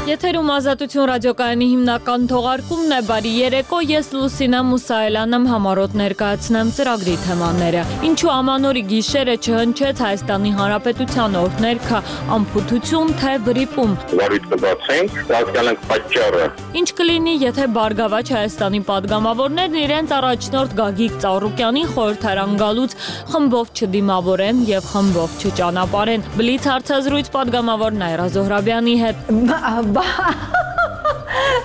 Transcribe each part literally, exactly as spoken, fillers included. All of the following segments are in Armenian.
Եթերում Ազատություն ռադիոկայանի հիմնական թողարկումն է, բարի երեկո, ես Լուսինա Մուսայելյանն եմ, համառոտ ներկայացնեմ ծրագրի թեմաները։ Ինչու ամանորի գիշերը չհնչեց Հայաստանի Հանրապետության օրհներգը, անփութություն թե վրիպում։ Նորից կբացենք, հասկանանք պատճառը։ Ինչ կլինի, եթե Բարգավաճ Հայաստանի падգամավորներն իրենց առաջնորդ Գագիկ Ծառուկյանին խորհրդարան գալուց խմբով չդիմավորեն եւ խմբով չճանապարհեն։ Բլից հարցազրույց падգամավոր Նայրա Զոհրաբյանի հետ։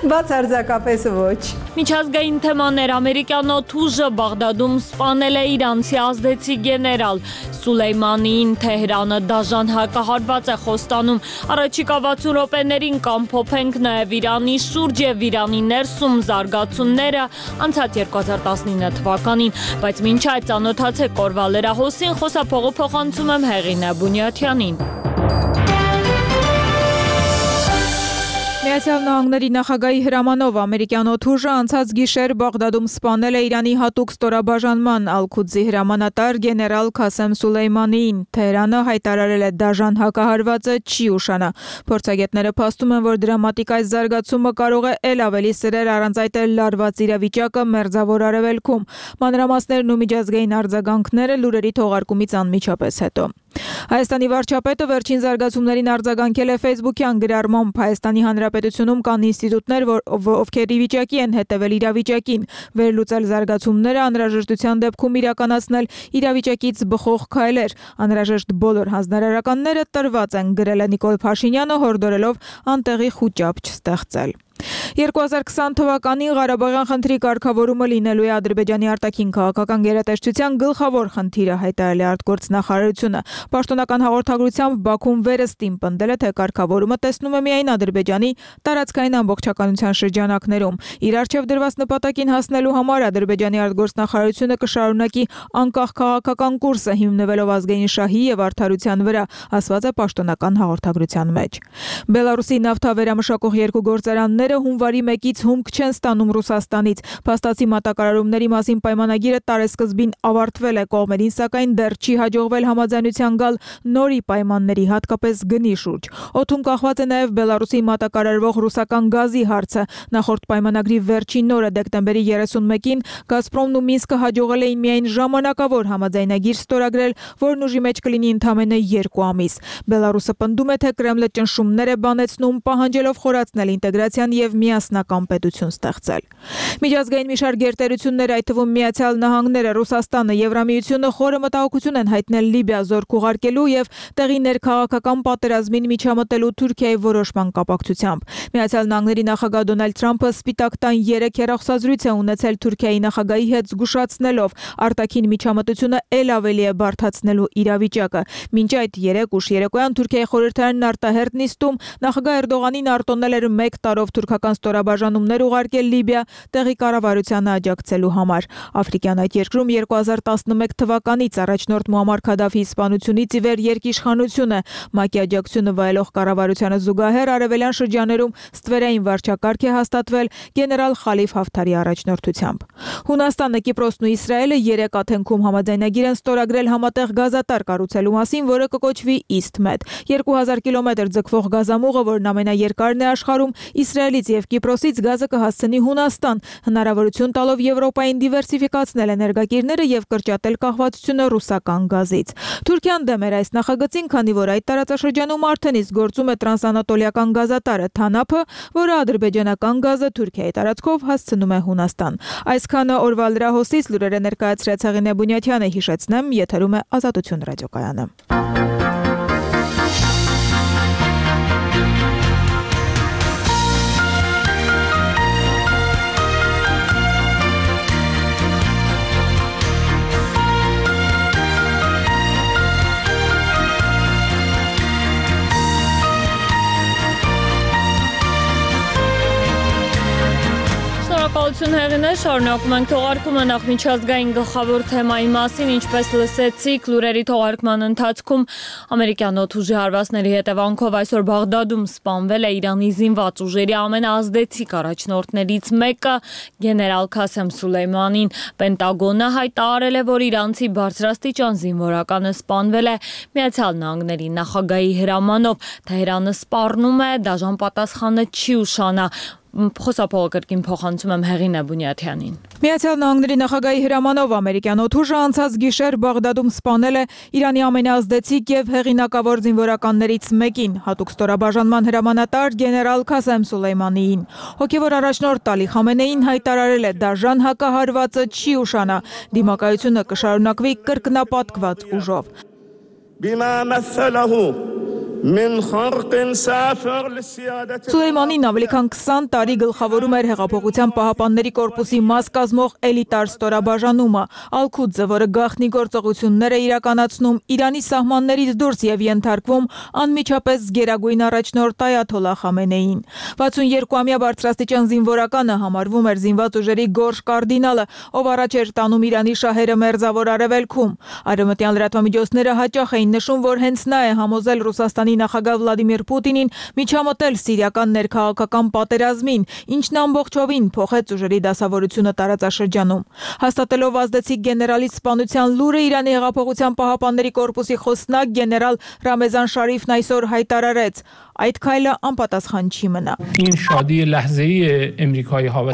Բացարձակապես ոչ։ Միջազգային թեմաներ ամերիկյան օդուժը Բաղդադում սպանել է իրանցի ազդեցիկ գեներալ Սուլեյմանիին, Թեհրանը դաժան հակահարված է խոստանում։ Առաջիկա վաթսուն րոպեներին կամփոփենք նաև Իրանի շուրջ եւ Իրանի ներսում զարգացումները անցած երկու հազար տասնինը թվականին, բայց մինչ այդ ծանոթացեք օրվա լրահոսին, խոսափողը փոխանցում եմ Հեղինե Բունյաթյանին։ Միացյալ Նահանգների նախագահի հրամանով ամերիկյան օդուժը անցած գիշեր Բաղդադում սպանել է Իրանի հատուկ ստորաբաժանման Ալ-Քուդզի հրամանատար գեներալ Քասեմ Սուլեյմանիին։ Թեհրանը հայտարարել է դաժան հակահարվածը չի ուշանա։ Փորձագետները փաստում են, որ դրամատիկ այս զարգացումը կարող է ել ավելի սրել առանց այդ էլ լարված իրավիճակը Մերձավոր Արևելքում։ Մանրամասներն ու միջազգային արձագանքները լուրերի թողարկումից անմիջապես հետո։ Հայաստանի վարչապետը վերջին զարգացումներին արձագանքել է Facebook-յան գրառմամբ Հայաստանի Հանրապետությունում կան ինստիտուտներ, ովքեր ի վիճակի են հետևել իրավիճակին, վերլուծել զարգացումները, անհրաժեշտության դեպքում իրականացնել իրավիճակից բխող քայլեր։ Անհրաժեշտ բոլոր հանձնարարականները տրված են, գրել է Նիկոլ Փաշինյանը, հորդորելով անտեղի խուճապ չստեղծել։ երկու հազար քսան թվականին Ղարաբաղյան խնդրի կարգավորումը լինելու է Ադրբեջանի արտաքին քաղաքական գերատեսչության գլխավոր խնդիրը, հայտարարել է արտգործնախարարությունը։ Պաշտոնական հաղորդագրությամբ Բաքուն վերստին պնդել է, թե կարգավորումը տեսնում է միայն Ադրբեջանի տարածքային ամբողջականության շրջանակներում։ Իր առջև դրված նպատակին հասնելու համար Ադրբեջանի արտգործնախարարությունը կշարունակի անկախ քաղաքական կուրսը հիմնվելով ազգային շահի եւ արդարության վրա, ասված է պաշտոնական հաղորդագրության մեջ։ Բելարուսի նավթավերամշակող երկու գործարաններ հունվարի մեկից հումք չեն ստանում Ռուսաստանից։ Փաստացի մատակարարումների մասին պայմանագիրը տարեսկզբին ավարտվել է, կողմերին սակայն դեռ չի հաջողվել համաձայնության գալ նորի պայմանների, հատկապես գնի շուրջ։ Օդում կախված է նաև Բելարուսի մատակարարվող ռուսական գազի հարցը։ Նախորդ պայմանագրի վերջին օրը դեկտեմբերի երեսունմեկին Գազպրոմն ու Մինսկը հաջողել էին միայն ժամանակավոր համաձայնագիր ստորագրել, որն ուժի մեջ կլինի ընդամենը երկու ամիս։ Բելարուսը պնդում է, թե Կրեմլը ճնշումներ է բանեցնում, պահանջելով խորացնել ինտեգրացիան եւ միասնական պետություն ստեղծել։ Միջազգային մի շարք գերտերություններ, այդ թվում Միացյալ Նահանգները, Ռուսաստանը, Եվրամիությունը խորը մտահոգություն են հայտնել Լիբիա զորք ուղարկելու եւ տեղի ներքաղաքական պատերազմին միջամտելու Թուրքիայի որոշման կապակցությամբ։ Միացյալ Նահանգների նախագահ Դոնալդ Թրամփը Սպիտակ տան երեք հեռախոսազրույց է ունեցել Թուրքիայի նախագահի հետ, զգուշացնելով արտաքին միջամտությունը ել ավելի է բարդացնելու իրավիճակը։ Մինչ այդ երեք ուշ երեկոյան Թուրքիայի խորհրդարանն արտահերտ նիստում նախագահ Էրդողանին արտոնել էր մեկ տարով թուրքական ստորաբաժանումներ ուղարկել Լիբիա տեղի կառավարությանը աջակցելու համար։ Աֆրիկյան այդ երկրում երկու հազար տասնմեկ թվականից առաջնորդ Մուամմար Քադաֆիի սպանությունից ի վեր երկիշխանություն է։ ՄԱԿ-ի աջակցությունը վայելող կառավարությանը զուգահեռ արևելյան շրջաներում ստվերային վարչակարգ է հաստատվել գեներալ Խալիֆ Հաֆթարի առաջնորդությամբ։ Հունաստանը, Կիպրոսն ու Իսրայելը երեք Աթենքում համաձայնագիր են ստորագրել համատեղ գազատար կառուցելու մասին, որը կկոչվի EastMed։ երկու հազար կիլոմետր ձգվող գազամուղը, որն ամենաերկարն է աշխարհում, Իսրայելից եւ Կիպրոսից գազը կհասցնի Հունաստան, հնարավորություն տալով Եվրոպային դիվերսիֆիկացնել էներգակիրները եւ կրճատել կախվածությունը ռուսական գազից։ Թուրքիան դեմ էր այս նախագծին, քանի որ այդ տարածաշրջանում արդեն իսկ գործում է տրանսանատոլիական գազատարը Թանափը, որը ադրբեջանական գազը Թուրքիայի տարածքով հասցնում է Հունաստան։ Այսքանը օրվա լրահոսից լուրերը ներկայացրեց Հեղինե Բունյաթյանը, հիշեցնեմ, եթերում է Ազատություն ռադիոկայանը։ Ողջույն հեղինե, շարունակում ենք թողարկումը նախ միջազգային գլխավոր թեմայի մասին, ինչպես լսեցիք լուրերի թողարկման ընթացքում ամերիկյան օդուժի հարվածների հետևանքով այսօր Բաղդադում սպանվել է Իրանի զինված ուժերի ամենաազդեցիկ առաջնորդներից մեկը գեներալ Քասեմ Սուլեյմանին։ Պենտագոնը հայտարարել է, որ իրանցի բարձրաստիճան զինվորականը սպանվել է Միացյալ Նահանգների նախագահի հրամանով։ Թեհրանը սպառնում է, դաժան պատասխանը չի ուշանա։ Խոսափողը կրկին փոխանցում եմ Հեղինե Բունյաթյանին։ Միացյալ Նահանգների նախագահի հրամանով ամերիկյան օդուժը անցած գիշեր Բաղդադում սպանել է Իրանի ամենաազդեցիկ եւ հեղինակավոր զինվորականներից մեկին, հատուկ ստորաբաժանման հրամանատար գեներալ Քասեմ Սուլեյմանիին։ Հոգեվոր առաջնորդ Ալի Խամենեին հայտարարել է՝ դաժան հակահարվածը չի ուշանա, դիմակայությունը կշարունակվի կրկնապատկված ուժով։ Սուլեյմանին ավելի քան քսան տարի գլխավորում էր Հեղափոխության պահապանների կորպուսի մաս կազմող էլիտար ստորաբաժանումը, Ալ-Քուդզը, որը գաղտնի գործողություններ է իրականացնում Իրանի սահմաններից դուրս եւ ենթարկվում անմիջապես գերագույն առաջնորդ Այաթոլլահ Խամենեիին։ վաթսունյոթ-ամյա բարձրաստիճան զինվորականը համարվում էր զինված ուժերի գորշ կարդինալը, ով առաջ էր տանում Իրանի շահերը մերձավոր արևելքում։ Արևմտյան լրատվամիջոցները հաճախ էին նշում, որ հենց նա է համոզել Ռուսաստանի նախագահ Վլադիմիր Պուտինին միջամտել սիրիական ներքաղաքական պատերազմին, ինչն ամբողջովին փոխեց ուժերի դասավորությունը տարածաշրջանում։ Հաստատելով ազդեցիկ գեներալի սպանության լուրը, Իրանի Հեղափոխության պահապանների կորպուսի խոսնակ գեներալ Ռամեզան Շարիֆն այսօր հայտարարեց. այդ քայլը անպատասխան չի մնա։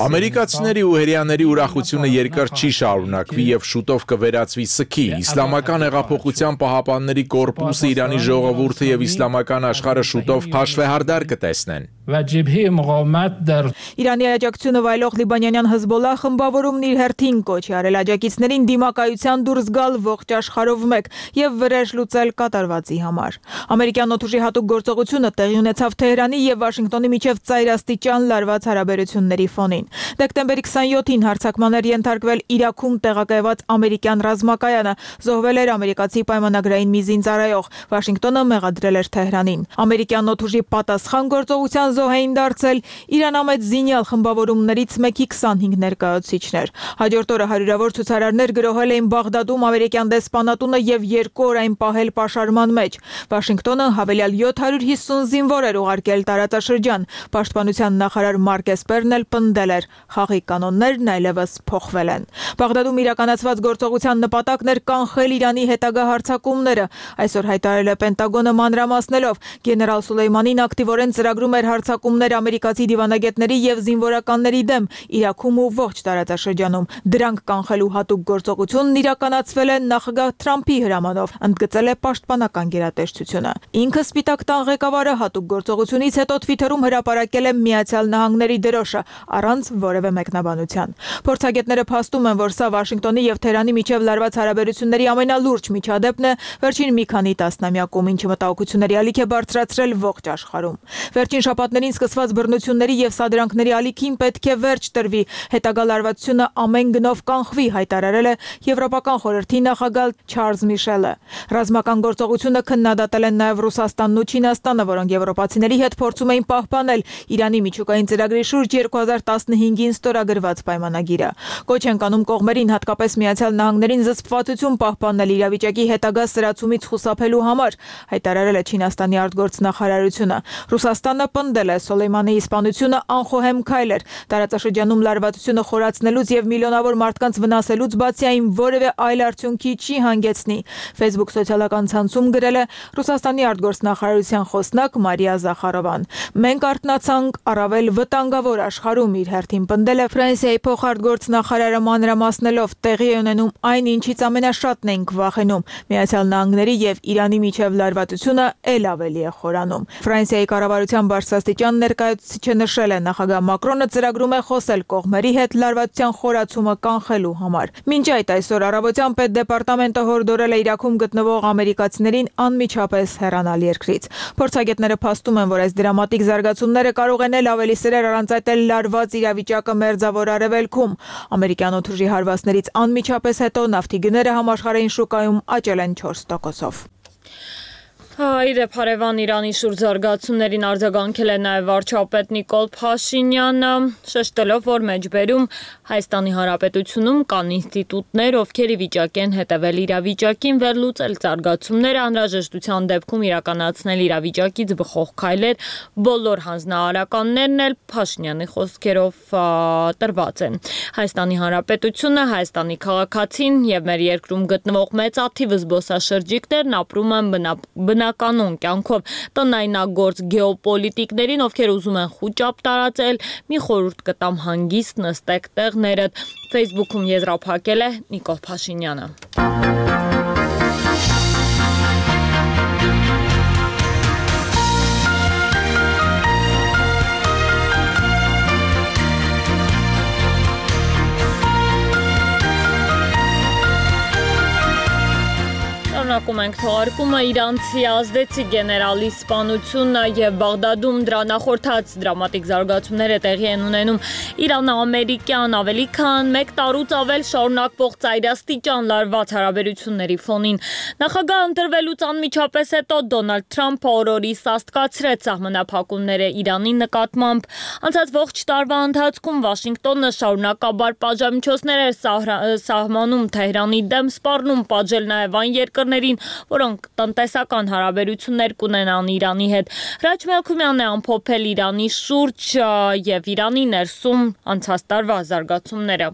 Ամերիկացիների ու հրեաների ուրախությունը երկար չի շարունակվի եւ շուտով կվերածվի սքի։ Իսլամական հեղափոխության պահապանների կորպուսը, Իրանի ժողովուրդը եւ իսլամական աշխարհը շուտով հաշվեհարդար կտեսնեն։ Իրանի աջակցությունը վայելող լիբանանյան Հեզբոլլահ խմբավորումն իր հերթին կոչ է արել աջակիցներին դիմակայության դուրս գալ ողջ աշխարհով մեկ եւ վրեժ լուծել կատարվածի համար։ Ամերիկյան օդուժի հատուկ գործողությունը տեղի ունեցավ Թեհրանի եւ Վաշինգտոնի միջև ծայրաստիճան լարված հարաբերությունների ֆոնին։ Դեկտեմբերի քսանյոթին հարձակման էր ենթարկվել Իրաքում տեղակայված ամերիկյան ռազմակայանը, զոհվել էր ամերիկացի պայմանագրային մի զինծառայող, Վաշինգտոնը մեղադրել էր Թեհրանին։ Ամերիկյան օդուժի պատասխան գործողության զոհ էին դարձել իրանամետ զինյալ խմբավորումներից մեկի քսանհինգ ներկայացուցիչներ։ Հաջորդ օրը հարյուրավոր ցուցարարներ գրոհել էին Բաղդադում ամերիկյան դեսպանատունը եւ երկու օր այն պահել պաշարման մեջ։ Վաշինգտոնը հավելյալ յոթ հարյուր հիսուն զինվոր էր ուղարկել տարածաշրջան։ Պաշտպանության նախարար Մարկ Էսպերն էլ պնդել էր՝ խաղի կանոններն այլևս փոխվել են։ Բաղդադում իրականացված գործողության նպատակն էր կանխել Իրանի հետագա հարձակումները։ Այսօր հայտարարել է Պենտագոնը մանրամասնելով, գեներալ Սուլեյմանին ակտիվորեն ծրագրում էր հարձակումներ ամերիկացի դիվանագետների եւ զինվորականների դեմ Իրաքում ու ողջ տարածաշրջանում։ Դրանք կանխելու հատուկ գործողությունն իրականացվել է նախագահ Թրամփի հրամանով, ընդգծել է պաշտպանական գերատեսչությունը։ Ինքը Սպիտակ տան ղեկավարը հատուկ գործողությունից հետո Թվիթերում հրապարակել է Միացյալ Նահանգների դրոշը առանց որևէ մեկնաբանության։ Փորձագետները փաստում են, որ սա Վաշինգտոնի եւ Թեհրանի միջև լարված հարաբերությունների ամենալուրջ միջադեպն է վերջին մի քանի տասնամյակում, ինչը մտահոգությունների ալիք է բարձրացրել ողջ աշխարհում։ Վերջին շաբաթներին սկսված բռնությունների եւ սադրանքների ալիքին պետք է վերջ տրվի, հետագա լարվածությունը ամեն գնով կանխվի, հայտարարել է Եվրոպական խորհրդի նախագահ Չարլզ Միշելը։ Ռազմական գործողությունը քննադատել են նաեւ Ռուսաստանն ու Չինաստանը, որոնք եվրոպացիների հետ փորձում էին պահպանել Իրանի միջուկային ծրագրի շուրջ երկու հազար տասնհինգին ստորագրված պայմանագիրը։ Կոչ են կանում կողմերին, հատկապես Միացյալ Նահանգներին, զսպվածություն պահպանել իրավիճակի հետագա սրացումից խուսափելու համար, հայտարարել է Չինաստանի արտգործնախարարությունը։ Ռուսաստանը պնդել է Սուլեյմանիի սպանությունը անխոհեմ քայլ էր, տարածաշրջանում լարվածությունը խորացնելուց եւ միլիոնավոր մարդկանց վնասելուց բացի այն որևէ այլ արդյունքի չի հանգեցնի։ Facebook սոցիալական ցանցում գրել է Ռուսաստանի արտգործնախարարության խոսնակ Մարիա Զախարովան։ Մենք արթնացանք առավել վտանգավոր աշխարհում, իր հերթին պնդել է Ֆրանսիայի փոխարտգործնախարարը մանրամասնելով, տեղի է ունենում այն, ինչից ամենաշատն ենք վախենում։ Միացյալ Նահանգների եւ Իրանի միջև լարվածությունը ել ավելի է խորանում։ Ֆրանսիայի կառավարության բարձրաստիճան ներկայացուցիչը նշել է, նախագահ Մակրոնը ծրագրում է խոսել կողմերի հետ լարվածության խորացումը կանխելու համար։ Մինչ այդ այսօր առավոտյան պետդեպարտամենտը հորդորել է Իրաքում գտնվող ամերիկացիներին անմիջապես հեռանալ երկրից։ Փորձագետները փաստում են, որ այս դրամատիկ զարգացումները կարող են ել ավելի սրեր առանցատել լարված իրավիճակը մերձավոր արևելքում։ Ամերիկյան օդուժի հարվածներից անմիջապես հետո նավթի գները համաշխարհային շուկայում աճել են չորս տոկոսով։ Իրեւ հարևան Իրանի շուրջ զարգացումներին արձագանքել է նաև վարչապետ Նիկոլ Փաշինյանը, շեշտելով, որ մեջբերում Հայաստանի Հանրապետությունում կան ինստիտուտներ, ովքեր ի վիճակի են հետևել իրավիճակին, վերլուծել զարգացումները, անհրաժեշտության դեպքում իրականացնել իրավիճակից բխող քայլեր, բոլոր հանձնարարականներն էլ Փաշինյանի խոսքերով տրված են։ Հայաստանի Հանրապետությունը, Հայաստանի քաղաքացին եւ մեր երկրում գտնվող մեծաթիվ զբոսաշրջիկներն ապրում են բնականոն կյանքով տնայնագործ գեոպոլիտիկներին, ովքեր ուզում են խուճապ տարածել, մի խորհուրդ կտամ հանգիստ նստեք տեղներդ։ Facebook-ում եզրափակել է Նիկոլ Փաշինյանը։ Շարունակում ենք թողարկումը իրանցի ազդեցիկ գեներալի սպանությունը եւ Բաղդադում դրա նախորդած դրամատիկ զարգացումները տեղի են ունենում Իրան-ամերիկյան ավելի քան մեկ տարուց ավել շարունակվող ծայրաստիճան լարված հարաբերությունների ֆոնին։ Նախագահ ընտրվելուց անմիջապես հետո Դոնալդ Թրամփը օրորի սաստկացրեց սահմանափակումները Իրանի նկատմամբ։ Անցած ողջ տարվա ընթացքում Վաշինգտոնը շարունակաբար պատժամիջոցներ էր սահմանում Թեհրանի դեմ, սպառնում պատժել նաեւ այն երկրներին, որոնք տնտեսական հարաբերություններ կունենան Իրանի հետ։ Հրաչ Մելքումյանն է ամփոփել Իրանի շուրջ եւ Իրանի ներսում անցած տարվա զարգացումները։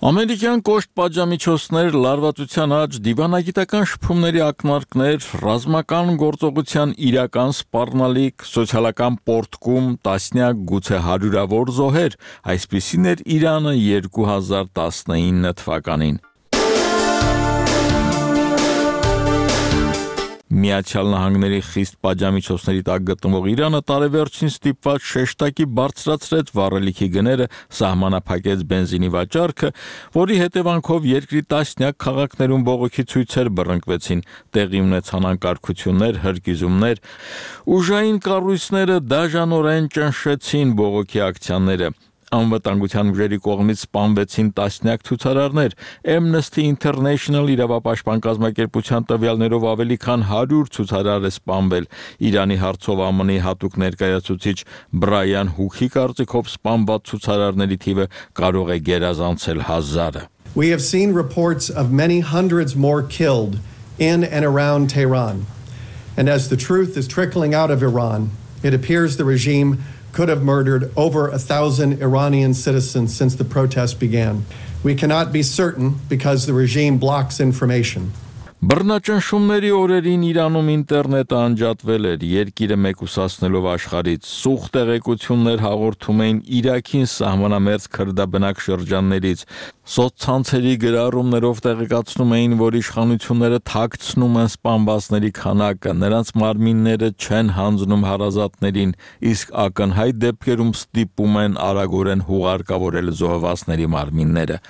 Ամերիկյան կոշտ պատժամիջոցներ, լարվածության աճ, դիվանագիտական շփումների ակնարկներ, ռազմական գործողության իրական սպառնալիք, սոցիալական պոռթկում, տասնյակ գուցե հարյուրավոր զոհեր, այսպիսին էր Իրանը երկու հազար տասնինը թվականին։ Միացյալ Նահանգների խիստ պատժամիջոցների տակ գտնվող Իրանը տարեվերջին ստիպված շեշտակի բարձրացրեց վառելիքի գները, սահմանափակեց բենզինի վաճառքը, որի հետևանքով երկրի տասնյակ քաղաքներում բողոքի ցույցեր բռնկվեցին, տեղի ունեցան անկարգություններ, հրկիզումներ, ուժային կառույցները դաժանորեն ճնշեցին բողոքի ակցիաները։ Անվտանգության ուժերի կողմից սպանվեցին տասնյակ ցուցարարներ, Amnesty International իրավապաշտպան կազմակերպության տվյալներով ավելի քան հարյուր ցուցարար է սպանվել։ Իրանի հարցով ԱՄՆ-ի հատուկ ներկայացուցիչ Բրայան Հուքի կարծիքով սպանված ցուցարարների թիվը կարող է գերազանցել հազարը։ We have seen reports of many hundreds more killed in and around Tehran. And as the truth is trickling out of Iran, it appears the regime could have murdered over a thousand Iranian citizens since the protests began. We cannot be certain because the regime blocks information. Բռնաճնշումների օրերին Իրանում ինտերնետը անջատվել էր, երկիրը մեկուսացնելով աշխարհից, սուղ տեղեկություններ հաղորդում էին Իրաքին սահմանամերձ քրդաբնակ շրջաններից, սոցցանցերի գրառումներով տեղեկացնում էին, որ իշխանությունները թաքցնում են սպանվածների քանակը, նրանց մարմինները չեն հանձնում հարազատներին, իսկ ակնհայտ դեպքերում ստիպում են արագորեն հուղարկավորել զոհվածների մարմինները։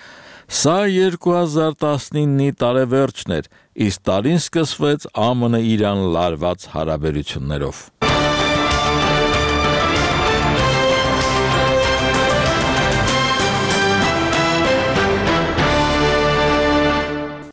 Սա երկու հազար տասնինի տարեվերջն էր, իսկ տարին սկսվեց ԱՄՆ-Իրան լարված հարաբերություններով։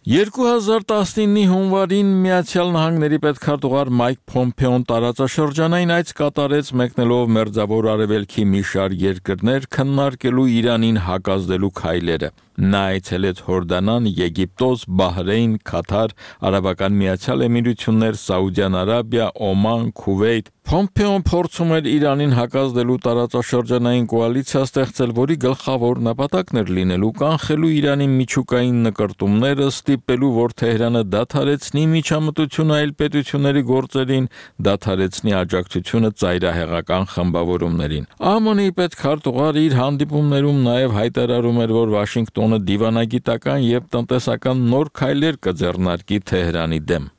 երկու հազար տասնինի հունվարին Միացյալ Նահանգների պետքարտուղար Մայք Փոմփեոն տարածաշրջանային այց կատարեց մեկնելով Մերձավոր Արևելքի մի շարք երկրներ քննարկելու Իրանին հակազդելու քայլերը։ Նա այցելեց Հորդանան, Եգիպտոս, Բահրեյն, Քաթար, Արաբական Միացյալ Էմիրություններ, Սաուդյան Արաբիա, Օման, Քուվեյթ։ Փոմփեոն փորձում էր Իրանին հակազդելու տարածաշրջանային կոալիցիա ստեղծել, որի գլխավոր նպատակն էր լինելու կանխելու Իրանի միջուկային նկրտումները, ստիպելու, որ Թեհրանը դադարեցնի միջամտությունը այլ պետությունների գործերին, դադարեցնի աջակցությունը ծայրահեղական խմբավորումներին։ ԱՄՆ-ի պետքարտուղարը իր հանդիպումներում նաև հայտարարում էր, որ Վաշինգտոնը դիվանագիտական եւ տնտեսական նոր քայլեր կձեռնարկի Թեհրանի դեմ։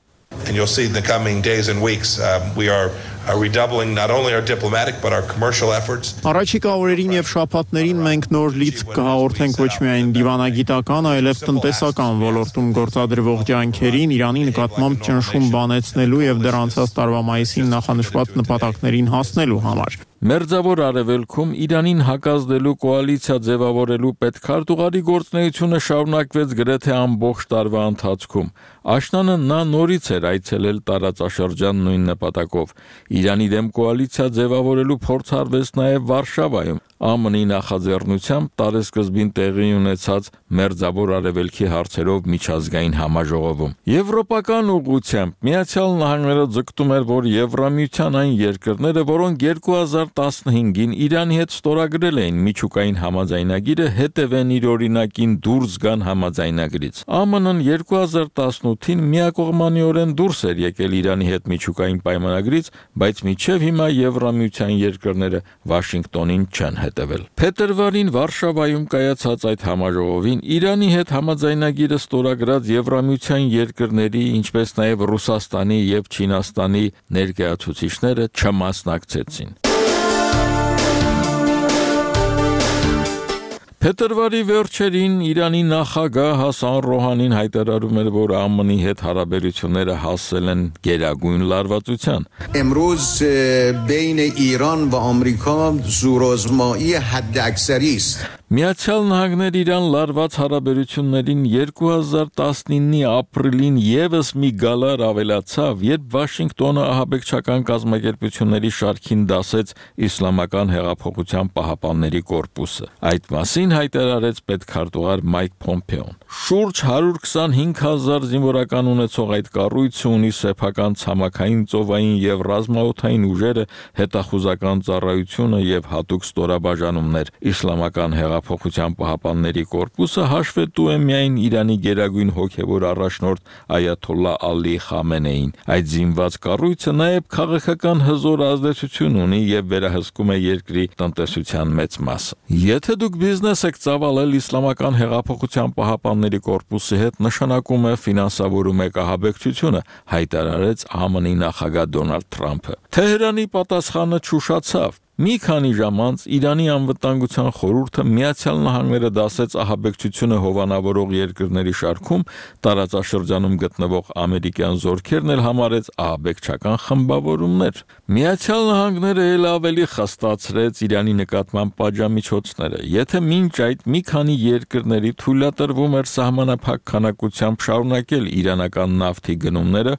And you'll see in the coming days and weeks, um, we are are redoubling not only our diplomatic but our commercial efforts. Առաջիկա օրերին եւ շաբաթներին մենք նոր լիցք կհաղորդենք ոչ միայն դիվանագիտական, այլև տնտեսական ոլորտում գործադրվող ջանքերին, Իրանի նկատմամբ ճնշում բանեցնելու եւ դեռ անցած տարվա մայիսին նախանշված նպատակներին հասնելու համար։ Մերձավոր Արևելքում Իրանին հակազդելու կոալիցիա ձևավորելու պետքարտուղարի գործունեությունը շարունակվեց գրեթե ամբողջ տարվա ընթացքում։ Աշնանը նա նորից էր այցելել տարածաշրջան նույն նպատակով։ Իրանի դեմ կոալիցիա ձևավորելու փորձ արվեց նաև Վարշավայում, ԱՄՆ-ի նախաձեռնությամբ տարեսկզբին տեղի ունեցած Մերձավոր Արևելքի հարցերով միջազգային համաժողովում։ Եվրոպական ուղղությամբ Միացյալ Նահանգները ձգտում էր, որ Եվրամիության այն երկրները, որոնք երկու հազար տասնհինգին Իրանի հետ ստորագրել էին միջուկային համաձայնագիրը, հետևեն իր օրինակին դուրս գան համաձայնագրից։ ԱՄՆ-ն երկու հազար տասնութին միակողմանիորեն դուրս էր եկել Իրանի հետ միջուկային պայմանագրից, բայց մինչև հիմա Եվրամիության երկրները Վաշինգտոնին չեն հետևել։ Փետրվարին Վարշավայում կայացած այդ համաժողովին Իրանի հետ համաձայնագիրը ստորագրած Եվրամիության երկրների, ինչպես նաև Ռուսաստանի եւ Չինաստանի ներկայացուցիչները չմասնակցեցին։ Փետրվարի վերջերին Իրանի նախագահ Հասան Ռոհանին հայտարարում էր, որ ԱՄՆ-ի հետ հարաբերությունները հասել են գերագույն լարվածության։ امروز بین ایران و آمریکا زورآزمایی حداکثری است. Միացյալ Նահանգներ Իրան լարված հարաբերություններին երկու հազար տասնինի ապրիլին եւս մի գալար ավելացավ, երբ Վաշինգտոնը ահաբեկչական կազմակերպությունների շարքին դասեց Իսլամական հեղափոխության պահապանների կորպուսը։ Այդ մասին հայտարարեց պետքարտուղար Մայք Փոմպեոն։ Շուրջ հարյուր քսանհինգ հազար զինվորական ունեցող այդ կառույցը ունի սեփական ցամաքային, ծովային եւ ռազմաօդային ուժերը, հետախուզական ծառայությունը եւ հատուկ ստորաբաժանումներ։ Իսլամական հեղափոխության պահապանների կորպուսը հաշվետու է միայն Իրանի գերագույն հոգևոր առաջնորդ Այաթոլլա Ալի Խամենեին։ Այդ զինված կառույցը նաեւ քաղաքական հզոր ազդեցություն ունի եւ վերահսկում է երկրի տնտեսության մեծ մասը։ Եթե դուք բիզնես եք ծավալել Իսլամական հեղափոխության պահապանների կորպուսի հետ, նշանակում է ֆինանսավորում եք ահաբեկչությունը, հայտարարեց ԱՄՆ-ի նախագահ Դոնալդ Թրամփը։ Թեհրանի պատասխանը չուշացավ։ Մի քանի ժամ անց Իրանի անվտանգության խորհուրդը Միացյալ Նահանգները դասեց ահաբեկչությունը հովանավորող երկրների շարքում, տարածաշրջանում գտնվող ամերիկյան զորքերն էլ համարեց ահաբեկչական խմբավորումներ։ Միացյալ Նահանգները ել ավելի խստացրեց Իրանի նկատմամբ պատժամիջոցները։ Եթե մինչ այդ մի քանի երկրների թույլատրվում էր սահմանափակ քանակությամբ շարունակել իրանական նավթի գնումները,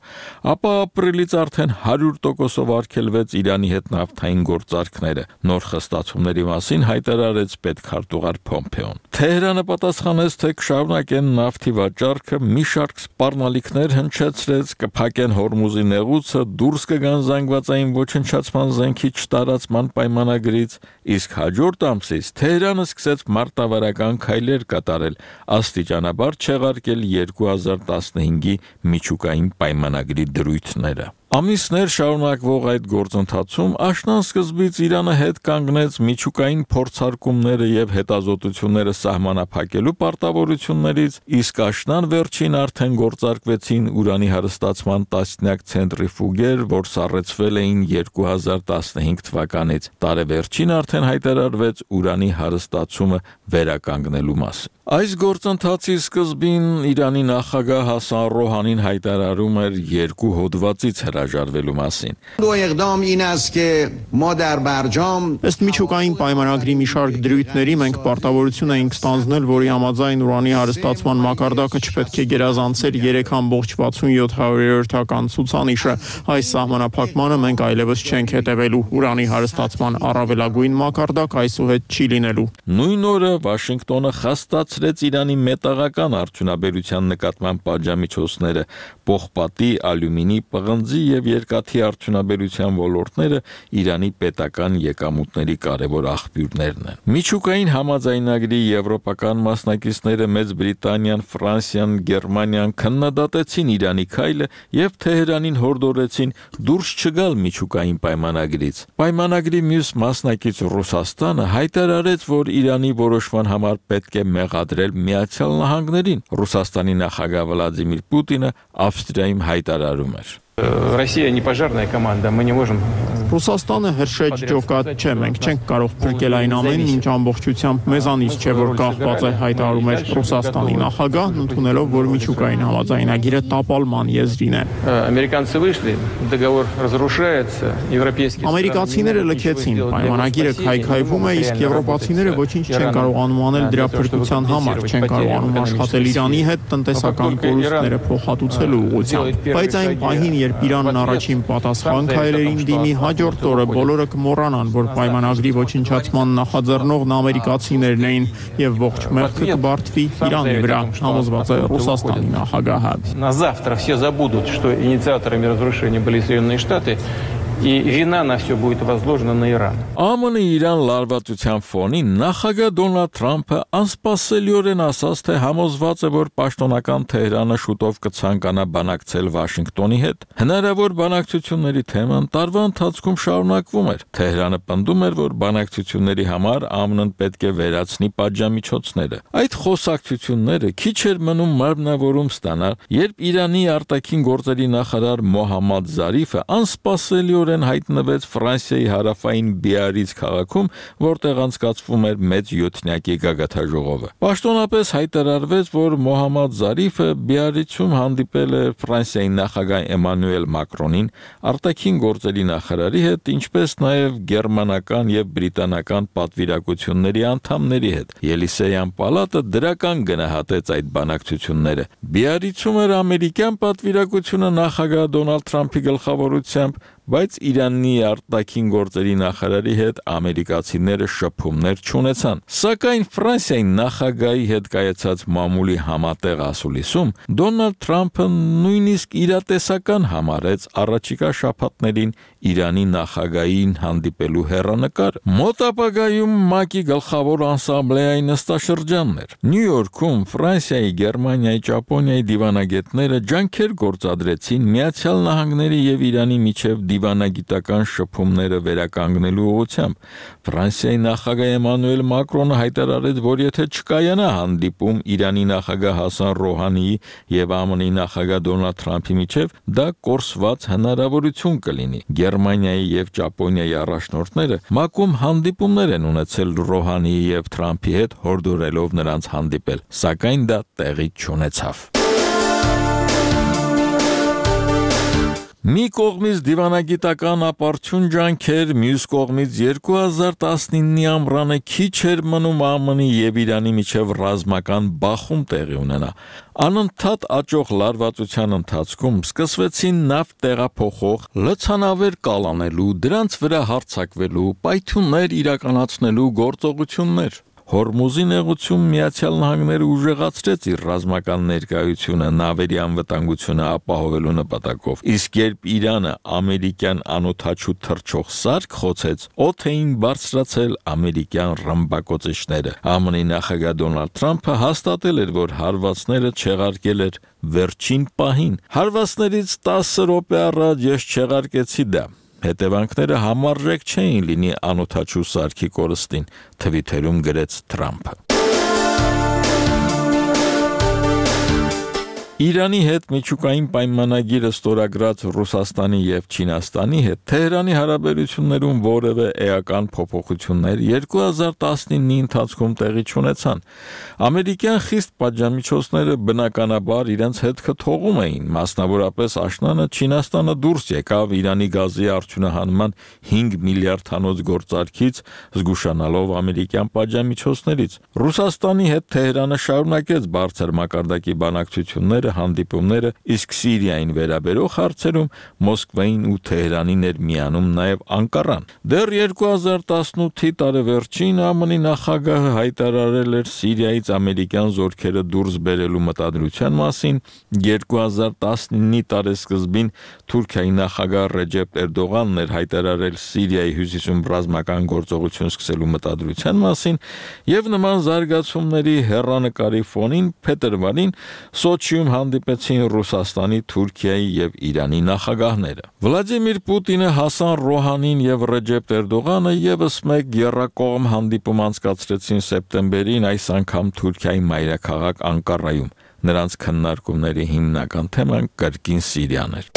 ապա ապրիլից արդեն հարյուր տոկոսով արգելվեց Իրանի հետ նավթային գործարքները։ Նոր խստացումների մասին հայտարարեց պետքարտուղար Փոմպեոն։ Թեհրանը պատասխանեց, թե կշարունակեն նավթի վաճառքը, մի շարք սպառնալիքներ հնչեցրեց, կփակեն Հորմուզի նեղուցը, դուրս կգան զանգվածային ոչնչացման զենքի չտարածման պայմանագրից, իսկ հաջորդ ամսից Թեհրանը սկսեց մարտավարական քայլեր կատարել, աստիճանաբար չեղարկել երկու հազար տասնհինգի միջուկային պայմանագրի դրույթները։ Ամիսներ շարունակվող այդ գործընթացում աշնան սկզբից Իրանը հետ կանգնեց միջուկային փորձարկումները եւ հետազոտությունները սահմանափակելու պարտավորություններից, իսկ աշնան վերջին արդեն գործարկվեցին ուրանի հարստացման տասնյակ ցենտրիֆուգեր, որ սառեցվել էին երկու հազար տասնհինգ թվականից։ Տարեվերջին արդեն հայտարարվեց ուրանի հարստացումը վերականգնելու մասին։ Այս գործընթացի սկզբին Իրանի նախագահ Հասան Ռոհանին հայտարարում էր երկու հոդվածից հրաժարվելու մասին։ Ըստ միջուկային պայմանագրի մի շարք դրույթների մենք պարտավորություն էինք ստանձնել, որի համաձայն ուրանի հարստացման մակարդակը չպետք է գերազանցեր երեք կόμma վաթսունյոթ հարյուրյոթական ցուցանիշը։ Այս սահմանափակմանը մենք այլևս չենք հետևելու։ Ուրանի հարստացման առավելագույն մակարդակ այսուհետ չի լինելու։ Նույն օրը Վաշինգտոնը խստացրեց Իրանի մետաղական արդյունաբերության նկատմամբ պատժամիջոցները, պողպատի, ալյումինի, պղնձի եւ երկաթի արդյունաբերության ոլորտները Իրանի պետական եկամուտների կարևոր աղբյուրներն են։ Միջուկային համաձայնագրի եվրոպական մասնակիցները Մեծ Բրիտանիան, Ֆրանսիան, Գերմանիան քննադատեցին Իրանի քայլը եւ Թեհրանին հորդորեցին դուրս չգալ միջուկային պայմանագրից։ Պայմանագրի մյուս մասնակից Ռուսաստանը հայտարարեց, որ Իրանի որոշման համար պետք է մեղադրել Միացյալ Նահանգներին։ Ռուսաստանի նախագահ Վլադիմիր Պուտինը Ավստրիայում հայտարարում էր. Россия не пожарная команда, мы не можем Ռուսաստանը հրշեջ ջոկատ չէ, մենք չենք կարող փրկել այն ամենն, ինչ ամբողջությամբ մեզանից չէ, որ կախված է, հայտարարում էր Ռուսաստանի նախագահն, ընդունելով, որ միջուկային համաձայնագիրը տապալման եզրին է։ Ամերիկացիները լքեցին, պայմանագիրը քայքայվում է, իսկ եվրոպացիները ոչինչ չեն կարողանում անել դրա փրկության համար, չեն կարողանում աշխատել Իրանի հետ տնտեսական կորուստները փոխհատուցելու ուղղությամբ։ Բայց այն պահին, երբ Իրանն առաջին պատասխան քայլերին դիմի, հաջորդ օրը բոլորը կմոռանան, որ պայմանագրի ոչնչացման նախաձեռնողն ամերիկացիներն էին եւ ողջ մեղքը կբարդվի Իրանի վրա, համոզված է Ռուսաստանի նախագահը։ На завтра все забудут, что инициаторами разрушения были Соединенные Штаты. И вина на все будет возложена на Иран. ԱՄՆ Իրան լարվածության ֆոնին նախագահ Դոնալդ Թրամփը անսպասելիորեն ասաց, թե համոզված է, որ պաշտոնական Թեհրանը շուտով կցանկանա բանակցել Վաշինգտոնի հետ։ Հնարավոր բանակցությունների թեման տարվա ընթացքում շարունակվում էր։ Թեհրանը պնդում էր, որ բանակցությունների համար ԱՄՆ-ն պետք է վերացնի պատժամիջոցները։ Այդ խոսակցությունները քիչ էր մնում մարմնավորում ստանալ, երբ Իրանի արտաքին գործերի նախարար Մոհամմադ Զարիֆը անսպասելի հայտնվեց Ֆրանսիայի հարավային Բիարից քաղաքում, որտեղ անցկացվում էր մեծ յոթնյակի գագաթաժողովը։ Պաշտոնապես հայտարարվեց, որ Մոհամմադ Զարիֆը Բիարիցում հանդիպել է Ֆրանսիայի նախագահ Էմանուել Մակրոնին, արտաքին գործերի նախարարի հետ, ինչպես նաև գերմանական եւ բրիտանական պատվիրակությունների անդամների հետ։ Ելիսեյան պալատը դրական գնահատեց այդ բանակցությունները։ Բիարիցում էր ամերիկյան պատվիրակությունը նախագահ Դոնալդ Թրամփի գլխավորությամբ, բայց Իրանի արտաքին գործերի նախարարի հետ ամերիկացիները շփումներ չունեցան։ Սակայն Ֆրանսիայի նախագահի հետ կայացած մամուլի համատեղ ասուլիսում Դոնալդ Թրամփը նույնիսկ իրատեսական համարեց առաջիկա շաբաթներին Իրանի նախագահին հանդիպելու հեռանկար։ Մոտ ապագայում ՄԱԿ-ի գլխավոր ասամբլեայի նստաշրջանն էր։ Նյու Յորքում Ֆրանսիայի, Գերմանիայի, Ճապոնիայի դիվանագետները ջանքեր գործադրեցին Միացյալ Նահանգների եւ Իրանի միջև դիվանագիտական շփումները վերականգնելու ուղղությամբ։ Ֆրանսիայի նախագահ Էմանուել Մակրոնը հայտարարեց, որ եթե չկայանա հանդիպում Իրանի նախագահ Հասան Ռոհանիի եւ ԱՄՆ-ի նախագահ Դոնալդ Թրամփի միջև, դա կորսված հնարավորություն կլինի։ Գերմանիայի եւ Ճապոնիայի առաջնորդները ՄԱԿ-ում հանդիպումներ են ունեցել Ռոհանիի եւ Թրամփի հետ, հորդորելով նրանց հանդիպել, սակայն դա տեղի չունեցավ։ Մի կողմից դիվանագիտական ապարդյուն ջանքեր, մյուս կողմից երկու հազար տասնինի ամռանը քիչ էր մնում ԱՄՆ-ի եւ Իրանի միջև ռազմական բախում տեղի ունենա։ Անընդհատ աճող լարվածության ընթացքում սկսվեցին նավթ տեղափոխող, լցանավեր կալանելու, դրանց վրա հարձակվելու, պայթյուններ իրականացնելու գործողություններ։ Հորմուզի նեղուցում Միացյալ Նահանգները ուժեղացրեց իր ռազմական ներկայությունը նավերի անվտանգությունը ապահովելու նպատակով, իսկ երբ Իրանը ամերիկյան անօդաչու թռչող սարք խոցեց, օդ էին բարձրացել ամերիկյան ռմբակոծիչները։ ԱՄՆ-ի նախագահ Դոնալդ Թրամփը հաստատել էր, որ հարվածները չեղարկել էր վերջին պահին։ Հարվածներից տասը րոպե առաջ ես չեղարկեցի դա։ Հետևանքները համարժեք չէին լինի անօդաչու սարքի կորստին, թվիթերում գրեց Թրամփը։ Իրանի հետ միջուկային պայմանագիրը ստորագրած Ռուսաստանի եւ Չինաստանի հետ Թեհրանի հարաբերություններում որևէ էական փոփոխություններ երկու հազար տասնինի ընթացքում տեղի չունեցան։ Ամերիկյան խիստ պատժամիջոցները բնականաբար իրենց հետքը թողում էին, մասնավորապես աշնանը Չինաստանը դուրս եկավ Իրանի գազի արդյունահանման հինգ միլիարդ տոննոց գործարքից, զգուշանալով ամերիկյան պատժամիջոցներից։ Ռուսաստանի հետ Թեհրանը շարունակեց բարձր մակարդակի բանակցությունները, հանդիպումները, իսկ Սիրիային վերաբերող հարցերում Մոսկվային ու Թեհրանին էր միանում նաև Անկարան։ Դեռ երկու հազար տասնութի տարեվերջին ԱՄՆ-ի նախագահը հայտարարել էր Սիրիայից ամերիկյան զորքերը դուրս բերելու մտադրության մասին, երկու հազար տասնինի տարեսկզբին Թուրքիայի նախագահ Ռեջեփ Էրդողանն էր հայտարարել Սիրիայի հյուսիսում ռազմական գործողություն սկսելու մտադրության մասին, եւ նման զարգացումների հեռանկարի ֆոնին փետրվարին Սոչիում հանդիպեցին Ռուսաստանի, Թուրքիայի եւ Իրանի նախագահները։ Վլադիմիր Պուտինը, Հասան Ռոհանին եւ Ռեջեփ Էրդողանը եւս մեկ եռակողմ հանդիպում անցկացրեցին սեպտեմբերին, այս անգամ Թուրքիայի մայրաքաղաք Անկարայում։ Նրանց քննարկումների հիմնական թեման կրկին Սիրիան էր։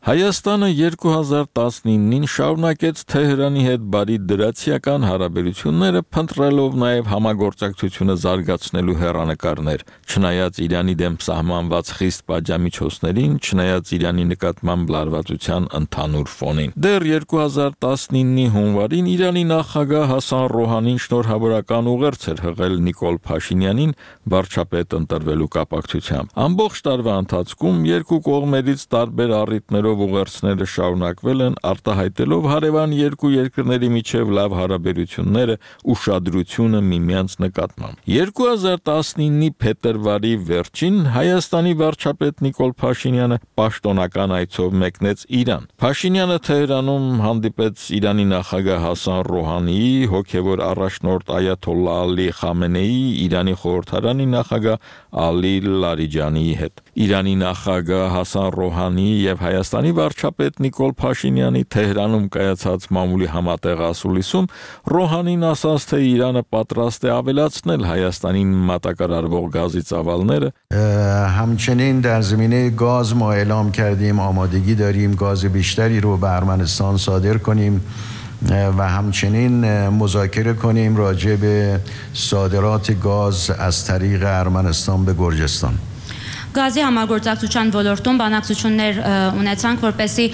Հայաստանը երկու հազար տասնինին շարունակեց Թեհրանի հետ բարի դրացիական հարաբերությունները, փնտրելով նաև համագործակցությունը զարգացնելու հեռանկարներ, չնայած Իրանի դեմ սահմանված խիստ պատժամիջոցներին, չնայած Իրանի նկատմամբ լարվածության ընդհանուր ֆոնին։ Դեռ երկու հազար տասնինի հունվարին Իրանի նախագահ Հասան Ռոհանին շնորհավորական ուղերձ էր հղել Նիկոլ Փաշինյանին վարչապետ ընտրվելու կապակցությամբ։ Ամբողջ տարվա ընթացքում երկու կողմերից տարբեր առիթներով ուղերձները շարունակվել են, արտահայտելով հարևան երկու երկրների միջև լավ հարաբերությունները, ուշադրությունը միմյանց նկատմամբ։ երկու հազար տասնինի փետրվարի վերջին Հայաստանի վարչապետ Նիկոլ Փաշինյանը պաշտոնական այցով մեկնեց Իրան։ Փաշինյանը Թեհրանում հանդիպեց Իրանի նախագահ Հասան Ռոհանիի, հոգևոր առաջնորդ Այաթոլլահ Ալի Խամենեիի, Իրանի խորհրդարանի նախագահ Ալի Լարիջանիի հետ։ Իրանի նախագահ Հասան Ռոհանիի եւ Հայաստանի վարչապետ Նիկոլ Փաշինյանի Թեհրանում կայացած մամուլի համատեղ ասուլիսում Ռոհանին ասաց, թե Իրանը պատրաստ է ավելացնել Հայաստանին մատակարարվող գազի ծավալները։ همچنین در زمینه گاز ما اعلام کردیم آمادگی داریم گاز بیشتری رو به ارمنستان صادر کنیم و همچنین مذاکره کنیم راجع به صادرات گاز از طریق ارمنستان به گرجستان. Գազի համագործակցության ոլորտում բանակցություններ ունեցանք, որպեսզի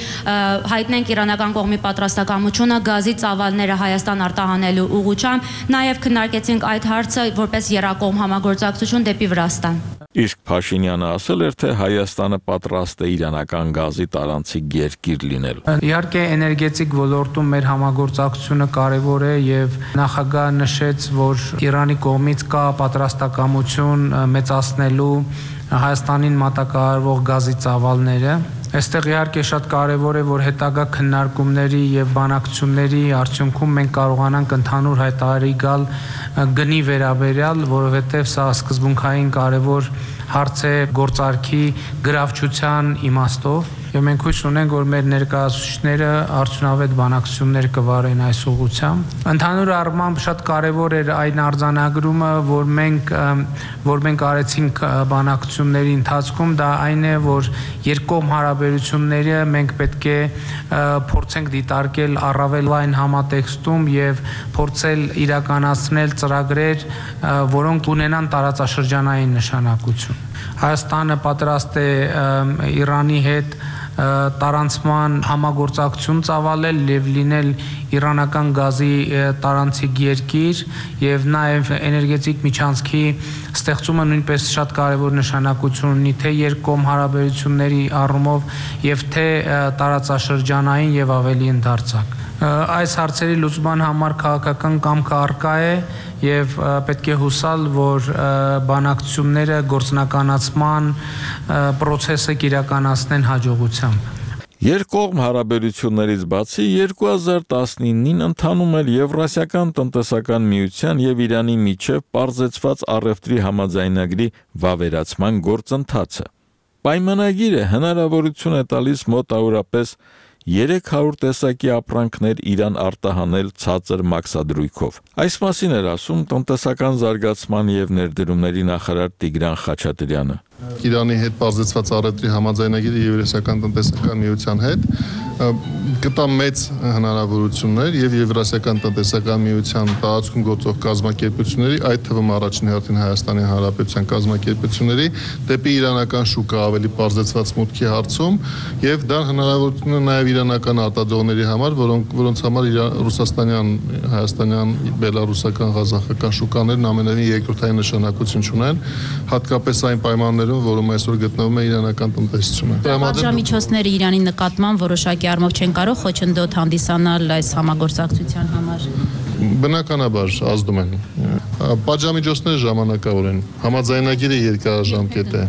հայտնենք իրանական կողմի պատրաստակամությունը գազի ծավալները Հայաստան արտահանելու ուղղությամբ, նաև քննարկեցինք այդ հարցը որպես եռակողմ համագործակցություն դեպի Վրաստան։ Իսկ Փաշինյանը ասել էր, թե Հայաստանը պատրաստ է իրանական գազի տարանցիկ երկիր լինել։ Իհարկե էներգետիկ ոլորտում մեր համագործակցությունը կարևոր է եւ նախագահը նշեց, որ Իրանի կողմից կա պատրաստակամություն մեծացնելու Հայաստանին մատակարարվող գազի ծավալները։ Այստեղ իհարկե շատ կարևոր է, որ հետագա քննարկումների եւ բանակցությունների արդյունքում մենք կարողանանք ընդհանուր հայտարարի գալ գնի վերաբերյալ, որովհետեւ սա սկզբունքային կարևոր հարց է գործարքի գրավչության իմաստով։ Եվ մենք հույս ունենք, որ մեր ներկայացուցիչները արդյունավետ բանակցություններ կվարեն այս ուղղությամբ։ Ընդհանուր առմամբ շատ կարևոր էր այն արձանագրումը, որ մենք որ մենք արեցինք բանակցությունների ընթացքում, դա այն է, որ երկկողմ հարաբերությունները մենք պետք է փորձենք դիտարկել առավել այն համատեքստում եւ փորձել իրականացնել ծրագրեր, որոնք ունենան տարածաշրջանային նշանակություն։ Հայաստանը պատրաստ է Իրանի հետ տարանցման համագործակցություն ծավալել եւ լինել իրանական գազի տարանցիկ երկիր եւ նաեւ էներգետիկ միջանցքի ստեղծումը նույնպես շատ կարեւոր նշանակություն ունի թե երկկողմ հարաբերությունների առումով եւ թե տարածաշրջանային եւ ավելի ընդարձակ։ Այս հարցերի լուծման համար քաղաքական կամքը առկա է եւ պետք է հուսալ, որ բանակցությունները գործնականացման process-ը իրականացնեն հաջողությամբ։ Երկկողմ հարաբերություններից բացի երկու հազար տասնինին ընթանում էր Եվրասիական տնտեսական միության եւ Իրանի միջև պարզեցված առևտրի համաձայնագրի վավերացման գործընթացը։ Պայմանագիրը հնարավորություն է տալիս մոտավորապես երեք հարյուր տեսակի ապրանքներ Իրան արտահանել ցածր մաքսադրույքով։ Այս մասին էր ասում տնտեսական զարգացման եւ ներդրումների նախարար Տիգրան Խաչատրյանը։ Իրանի հետ բազեցված առևտրի համաձայնագիրը Եվրասիական տնտեսական միության հետ կտա մեծ հնարավորություններ եւ Եվրասիական տնտեսական միության տարածքում գործող կազմակերպությունների, այդ թվում առաջին հերթին Հայաստանի Հանրապետության կազմակերպությունների դեպի իրանական շուկա ավելի բազեցված մուտքի հարցում եւ դա հնարավորություն է նաեւ իրանական արտադրողների համար, որոնք որոնց համար ռուսաստանյան, հայաստանյան, բելարուսական, ղազախական շուկաներն ամենևին երկրորդային նշանակություն ունեն, հատկապես այն պայմաններում, որում այսօր գտնվում է իրանական տնտեսությունը։ Պատժամիջոցները Իրանի նկատմամբ որոշակի առումով չեն կարող խոչընդոտ հանդիսանալ այս համագործակցության համար։ Բնականաբար ազդում են։ Պատժամիջոցները ժամանակավոր են։ Համաձայնագիրը երկարաժամկետ է։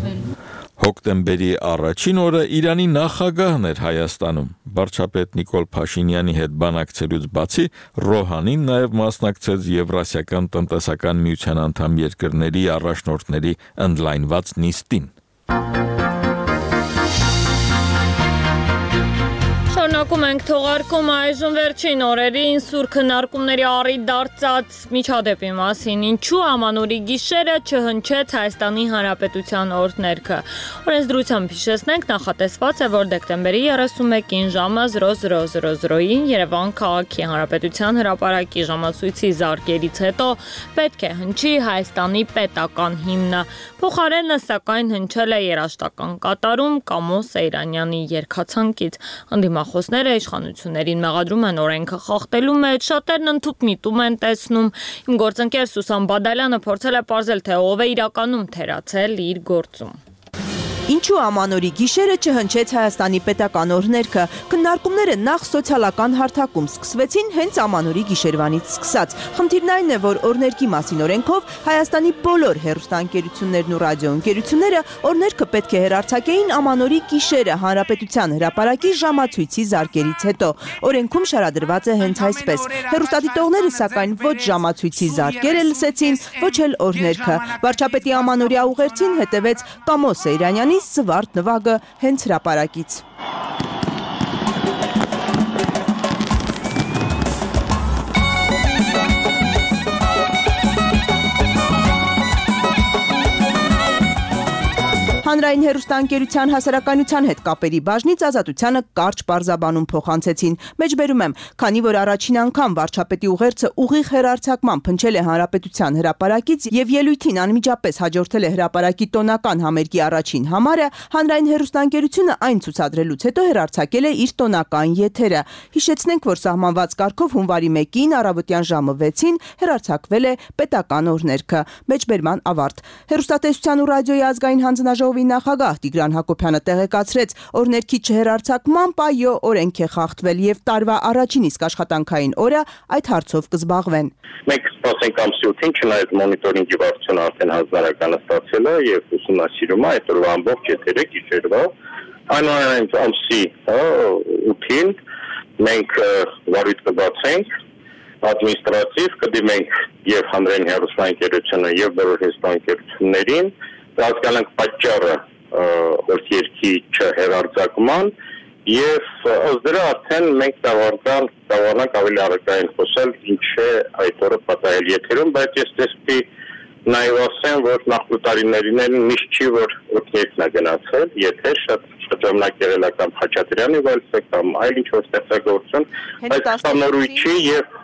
Հոկտեմբերի առաջին օրը Իրանի նախագահն էր Հայաստանում։ Վարչապետ Նիկոլ Փաշինյանի հետ բանակցելուց բացի Ռոհանին նաև մասնակցեց Եվրասիական տնտեսական միության անդամ երկրների առաջնորդների ընդլայնված նիստին։ Շարունակում ենք թողարկում այժմ վերջին օրերին սուր քննարկումների առիթ դարձած միջադեպի մասին, ինչու ամանորի գիշերը չհնչեց Հայաստանի Հանրապետության օրհներգը։ Օրենսդրությամբ հիշեցնենք, նախատեսված է, որ դեկտեմբերի երեսունմեկին ժամը զրո զրո զրո զրոյին Երևան քաղաքի Հանրապետության հրապարակի ժամացույցի զարկերից հետո պետք է հնչի Հայաստանի պետական հիմնը։ Փոխարենը սակայն հնչել է երաժշտական կատարում Կամո Սեյրանյանի երգացանկից։ Անդիմախոսները իշխանություններին մեղադրում են օրենքը խախտելու մեջ, շատերն ընդհուպ միտում են տեսնում։ Իմ գործընկեր Սուսան Բադալյանը փորձել է պարզել, թե ով է իրականում թերացել իր գործում։ Ինչու ամանորի գիշերը չհնչեց Հայաստանի պետական օրհներգը։ Քննարկումները նախ սոցիալական հարթակում սկսվեցին հենց ամանորի գիշերվանից սկսած։ Խնդիրն այն է, որ օրհներգի մասին օրենքով Հայաստանի բոլոր հեռուստաընկերություններն ու ռադիոընկերությունները օրհներգը պետք է հեռարձակեին ամանորի գիշերը Հանրապետության հրապարակի ժամացույցի զարկերից հետո։ Օրենքում շարադրված է հենց այսպես։ Հեռուստադիտողները սակայն ոչ ժամացույցի զարկերը լսեցին, ոչ էլ օրհներգը։ Վարչապետի ամանորյա ուղերձին հետևեց Կամո Սեյրանյանի զվարթ նվագը հենց հրապարակից։ Հանրային հեռուստաընկերության հասարակայնության հետ կապերի բաժնից Ազատությանը կարճ պարզաբանում փոխանցեցին։ Մեջբերում եմ, քանի որ առաջին անգամ վարչապետի ուղերձը ուղիղ հեռարձակման փնչել է Հանրապետության հրապարակից եւ ելույթին անմիջապես հաջորդել է հրապարակի տոնական համերգի առաջին համարը, հանրային հեռուստաընկերությունը այն ցուցադրելուց հետո հեռարձակել է իր տոնական եթերը։ Հիշեցնենք, որ սահմանված կարգով հունվարի մեկին առավոտյան ժամը վեցին հեռարձակվել է պետական օրհներգը։ Մեջբերման ավարտ։ Հեռուստատեսության ու ռադիոյի ազգային հանձնաժողովի նախագահ Տիգրան Հակոբյանը տեղեկացրեց, օրհներգի չհեռարձակմամբ այո օրենք է խախտվել եւ տարվա առաջին իսկ աշխատանքային օրը այդ հարցով կզբաղվեն։ Մենք սպասենք ամսի ութին, չնայած մոնիտորինգի վարչությունը արդեն հանձնարարականը ստացել է եւ ուսումնասիրում է այդ օրվա ամբողջ եթերը գիշերվա, այնուամենայնիվ ամսի ութին մենք վարույթ կբացենք ադմինիստրատիվ, կդիմենք եւ հանրային հեռուստաընկերությունը եւ բոլոր հեռուստաընկերություններին, հասկանանք պատճառը օրհներգի չհեռարձակման եւ ըստ դրա արդեն մենք դավանանք ավելի առակային խոսել ինչ է այդ օրը պատահել եթերում, բայց ես տեսքի նաեւ ասեմ, որ նախորդ տարիներին միշտ չի որ օրհներգն է գնացել, եթե շատ շրջանակ եղել է կամ Խաչատրյանի վայրը կամ այլ ինչ-որ ստեղծագործություն, բայց նորույթի եւ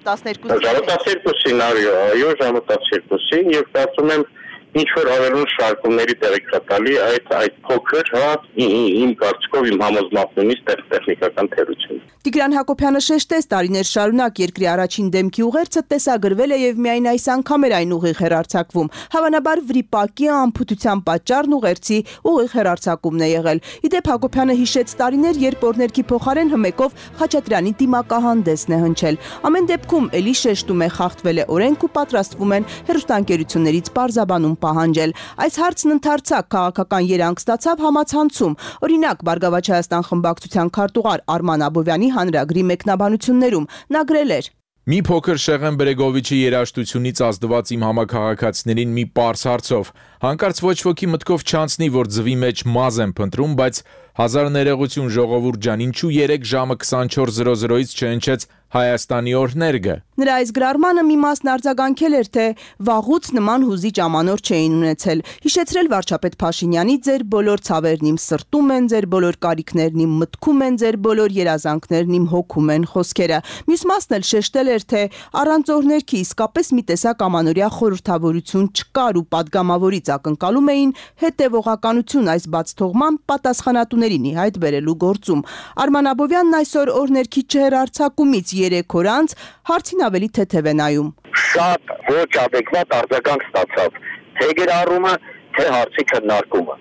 տասներկուսին այո, ժամը տասներկուսին եւ կարծում եմ ինչ որ ավելուն շարքումների տեղեկատալի այդ այդ փոքր հա իմ կարծիքով իմ համոզմունքնից տեխնիկական թերություն։ Տիգրան Հակոբյանը շեշտեց, տարիներ շարունակ երկրի առաջին դեմքի ուղերձը տեսագրվել է եւ միայն այս անգամ էր այն ուղիղ հեռարձակվում։ Հավանաբար վրիպակի անփութության պատճառն ուղերձի ուղիղ հեռարձակումն է եղել։ Իդեպ Հակոբյանը հիշեց տարիներ, երբ օրհներգի փոխարեն հմեկով Խաչատրյանի դիմակահանդեսն է հնչել։ Ամեն դեպքում էլի շեշտում է խախտվել է օրենք ու պատրաստվում են հեռուստաընկերություններից պարզաբանում պահանջել։ Այս հարցն ընդարձակ քաղաքական երանգ ստացավ համացանցում։ Օրինակ, Բարգավաճ Հայաստան խմբակցության քարտուղար Արման Աբովյանի հանրագրի մեկնաբանություններում նա գրել էր. Մի փոքր Շեղեն Բրեգովիչի երաժշտությունից ազդված իմ համակարգացիներին մի պարզ հարցով։ Հանկարծ ոչ ոքի մտքով չանցնի, որ ձվի մեջ մազ եմ փնտրում, բայց հազար ներողություն ժողովուրդ ջան, ինչու երեք ժամը քսանչորս զրո զրոից չհնչեց Հայաստանի օրհներգը։ Նրա այս գրառմանը մի մասն արձագանքել էր, թե վաղուց նման հուզիչ ամանոր չէին ունեցել։ Հիշեցրել վարչապետ Փաշինյանի ձեր բոլոր ցավերն իմ սրտում են, ձեր բոլոր կարիքներն իմ մտքում են, ձեր բոլոր երազանքներն իմ հոգում են խոսքերը։ Մյուս մասն էլ շեշտել էր, թե առանց օրհներգի իսկապես մի տեսակ ամանորյա խորհրդավորություն չկար ու падգամավորից ակնկալում էին հետևողականություն այս բացթողման պատասխանատուներին ի հայտ բերելու գործում։ Արման Աբովյանն այսօր օրհներգի չհեռարձակումից երեք օր անց հարցին ավելի թեթև է նայում։ Շատ ոչ adekvat արձագանք ստացավ, թե գրառումը, թե հարցի քննարկումը։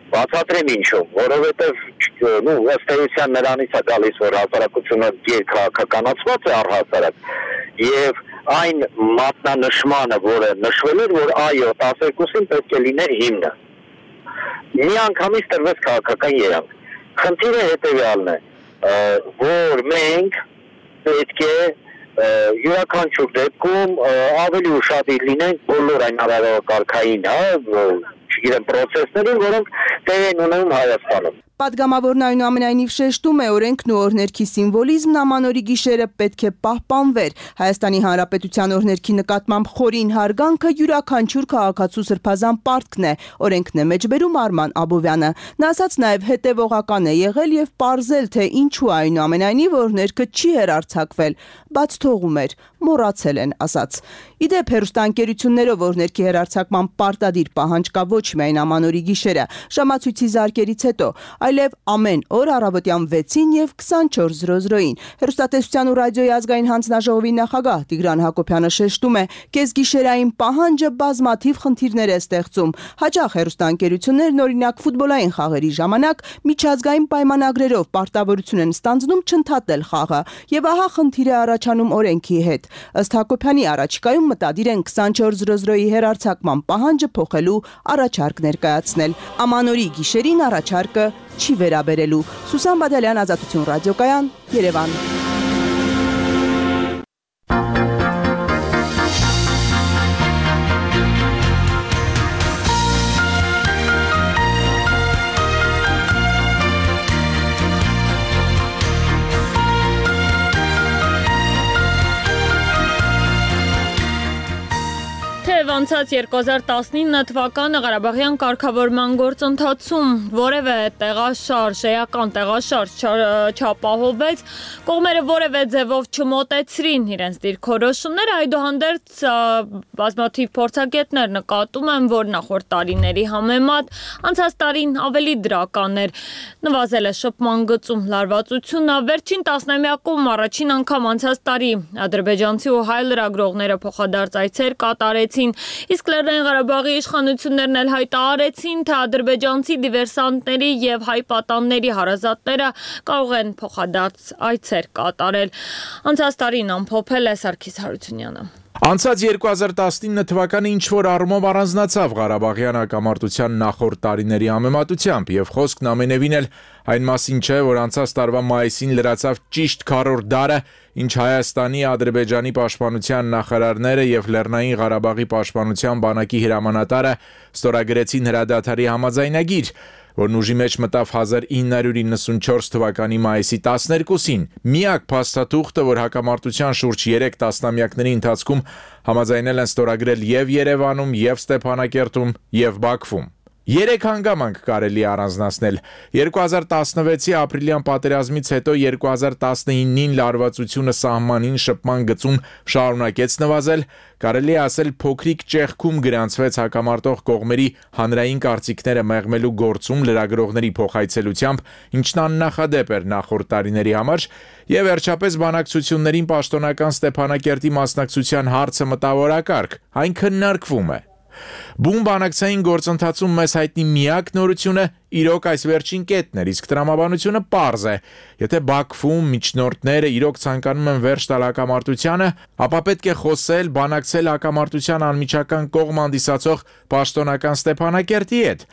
Բացատրեմ ինչու, որովհետև նու ըստ էության նրանից է գալիս, որ հասարակությունը քաղաքականացված է առհասարակ եւ այն մատնանշմանը, որը նշվել էր, որ այո, տասներկուսին պետք է լիներ հիմնը։ Մի անգամից տրվեց քաղաքական երանգ։ Խնդիրը հետեւյալն է, որ մենք պետք է յուրաքանչյուր դեպքում ավելի ուշադիր լինենք բոլոր այն արարողակարգային, հա, չգիտեմ, process-ներին, որոնք տեղ են ունենում Հայաստանում։ Պատգամավորն այնուամենայնիվ շեշտում է, օրենքն ու օրհներքի սիմվոլիզմն ամանորի գիշերը պետք է պահպանվեր։ Հայաստանի Հանրապետության օրհներքի նկատմամբ խորին հարգանքը յուրաքանչյուր քաղաքացու սրբազան պարտքն է, օրենքն է մեջբերում Արման Աբովյանը։ Նա ասաց նաև հետևողական է եղել եւ պարզել, թե ինչու այնուամենայնիվ օրհներքը չի հեռարձակվել, բաց թողում էր, մոռացել են ասաց։ Իդեպ հեռուստաընկերություններով օրհներքի հեռարձակման պարտադիր պահանջ կա ոչ միայն ամանորի գիշերը, ժամացույցի զարկերից հետո, այլև ամեն օր առավոտյան վեցին եւ քսանչորս զրո զրոին։ Հեռուստատեսության ու ռադիոյի ազգային հանձնաժողովի նախագահ Տիգրան Հակոբյանը շեշտում է, կեսգիշերային պահանջը բազմաթիվ խնդիրներ է ստեղծում։ Հաճախ հեռուստաընկերություններն օրինակ ֆուտբոլային խաղերի ժամանակ միջազգային պայմանագրերով պարտավորություն են ստանձնում չընդհատել խաղը, եւ ահա խնդիր է առաջանում օրենքի հետ։ Ըստ Հակոբյանի առաջիկայում մտադիր են քսանչորս զրո զրոյի հեռարձակման պահանջը փոխելու առաջարկ ներկայացնել։ Ամանորի գիշերին առաջարկը չի վերաբերելու։ Սուսան Բադալյան, Ազատություն ռադիոկայան, Երևան։ Անցած երկու հազար տասնինը թվականը Ղարաբաղյան կարգավորման գործընթացում որևէ տեղաշարժ, էական տեղաշարժ չապահովվեց, կողմերը որևէ ձևով չմոտեցրին իրենց դիրքորոշումները, այդուհանդերձ բազմաթիվ փորձագետներ նկատում են, որ նախորդ տարիների համեմատ անցած տարին ավելի դրական էր, նվազել է շփման գծում լարվածությունը, վերջին տասնամյակում առաջին անգամ անցած տարի ադրբեջանցի ու հայ լրագրողները փոխադարձ այցեր կատարեցին, իսկ Լեռնային Ղարաբաղի իշխանություններն էլ հայտարարեցին, թե ադրբեջանցի դիվերսանտների եւ հայ պատանների հարազատները կարող են փոխադարձ այցեր կատարել։ Անցած տարին ամփոփել է Սարգիս Հարությունյանը։ Անցած երկու հազար տասնինը թվականը ինչ-որ առումով առանձնացավ Ղարաբաղյան հակամարտության նախորդ տարիների համեմատությամբ եւ խոսքն ամենևին էլ այն մասին չէ, որ անցած տարվա մայիսին լրացավ ճիշտ քառորդ դարը, ինչ Հայաստանի, Ադրբեջանի պաշտպանության նախարարները եւ Լեռնային Ղարաբաղի պաշտպանության բանակի հրամանատարը ստորագրեցին հրադադարի համաձայնագիր, որն ուժի մեջ մտավ հազար ինը հարյուր իննսունչորս թվականի մայիսի տասներկուսին, միակ փաստաթուղթը, որ հակամարտության շուրջ երեք տասնամյակների ընթացքում համաձայնել են ստորագրել եւ Երևանում, եւ Ստեփանակերտում, եւ Բաքվում։ Երեք հանգամանք կարելի առանձնացնել։ երկու հազար տասնվեցի ապրիլյան պատերազմից հետո երկու հազար տասնինին լարվածությունը սահմանին շփման գծում շարունակեց նվազել, կարելի է ասել փոքրիկ ճեղքում գրանցվեց հակամարտող կողմերի հանրային կարծիքները մեղմելու գործում լրագրողների փոխայցելությամբ, ինչն աննախադեպ էր նախորդ տարիների համար, եւ վերջապես բանակցություններին պաշտոնական Ստեփանակերտի մասնակցության հարցը մտավորակարգ, այն քննարկվում է։ Բուն բանակցային գործընթացում մեզ հայտնի միակ նորությունը իրոք այս վերջին կետն էր, իսկ տրամաբանությունը պարզ է։ Եթե Բաքվում միջնորդները իրոք ցանկանում են վերջ տալ հակամարտությանը, ապա պետք է խոսել, բանակցել հակամարտության անմիջական կողմ հանդիսացող պաշտոնական Ստեփանակերտի հետ։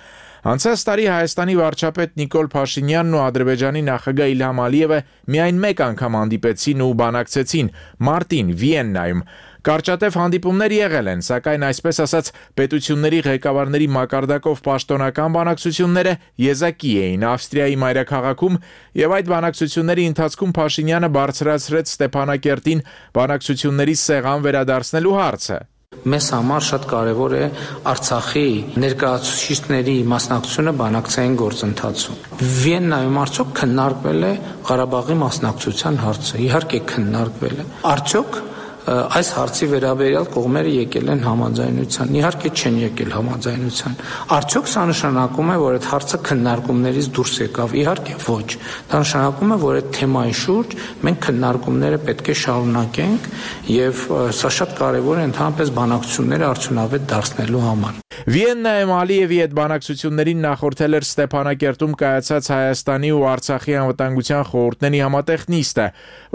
Անցած տարի Հայաստանի վարչապետ Նիկոլ Փաշինյանն ու Ադրբեջանի նախագահ Իլհամ Ալիևը միայն մեկ անգամ հանդիպեցին ու բանակցեցին մարտին Վիեննայում։ Կարճատև հանդիպումներ եղել են, սակայն այսպես ասած պետությունների ղեկավարների մակարդակով պաշտոնական բանակցությունները եզակի էին Ավստրիայի մայրաքաղաքում եւ այդ բանակցությունների ընթացքում Փաշինյանը բարձրացրեց Ստեփանակերտին բանակցությունների սեղան վերադարձնելու հարցը։ Մեզ համար շատ կարևոր է Արցախի ներկայացուցիչների մասնակցությունը բանակցային գործընթացում։ Վիեննայում արդյոք քննարկվել է Ղարաբաղի մասնակցության հարցը։ Իհարկե քննարկվել է։ Արդյոք այս հարցի վերաբերյալ կողմերը եկել են համաձայնության, իհարկե չեն եկել համաձայնության։ Արդյոք սա նշանակում է, որ այդ հարցը քննարկումներից դուրս եկավ, իհարկե ոչ։ Դա նշանակում է, որ այդ թեմայի շուրջ մենք քննարկումները պետք է շարունակենք եւ սա շատ կարեւոր է ընդհանրապես բանակցությունները արդյունավետ դարձնելու համար։ Վիեննայում Ալիևի այդ բանակցություններին նախորդել էր Ստեփանակերտում կայացած Հայաստանի ու Արցախի անվտանգության խորհուրդների համատեղ նիստը,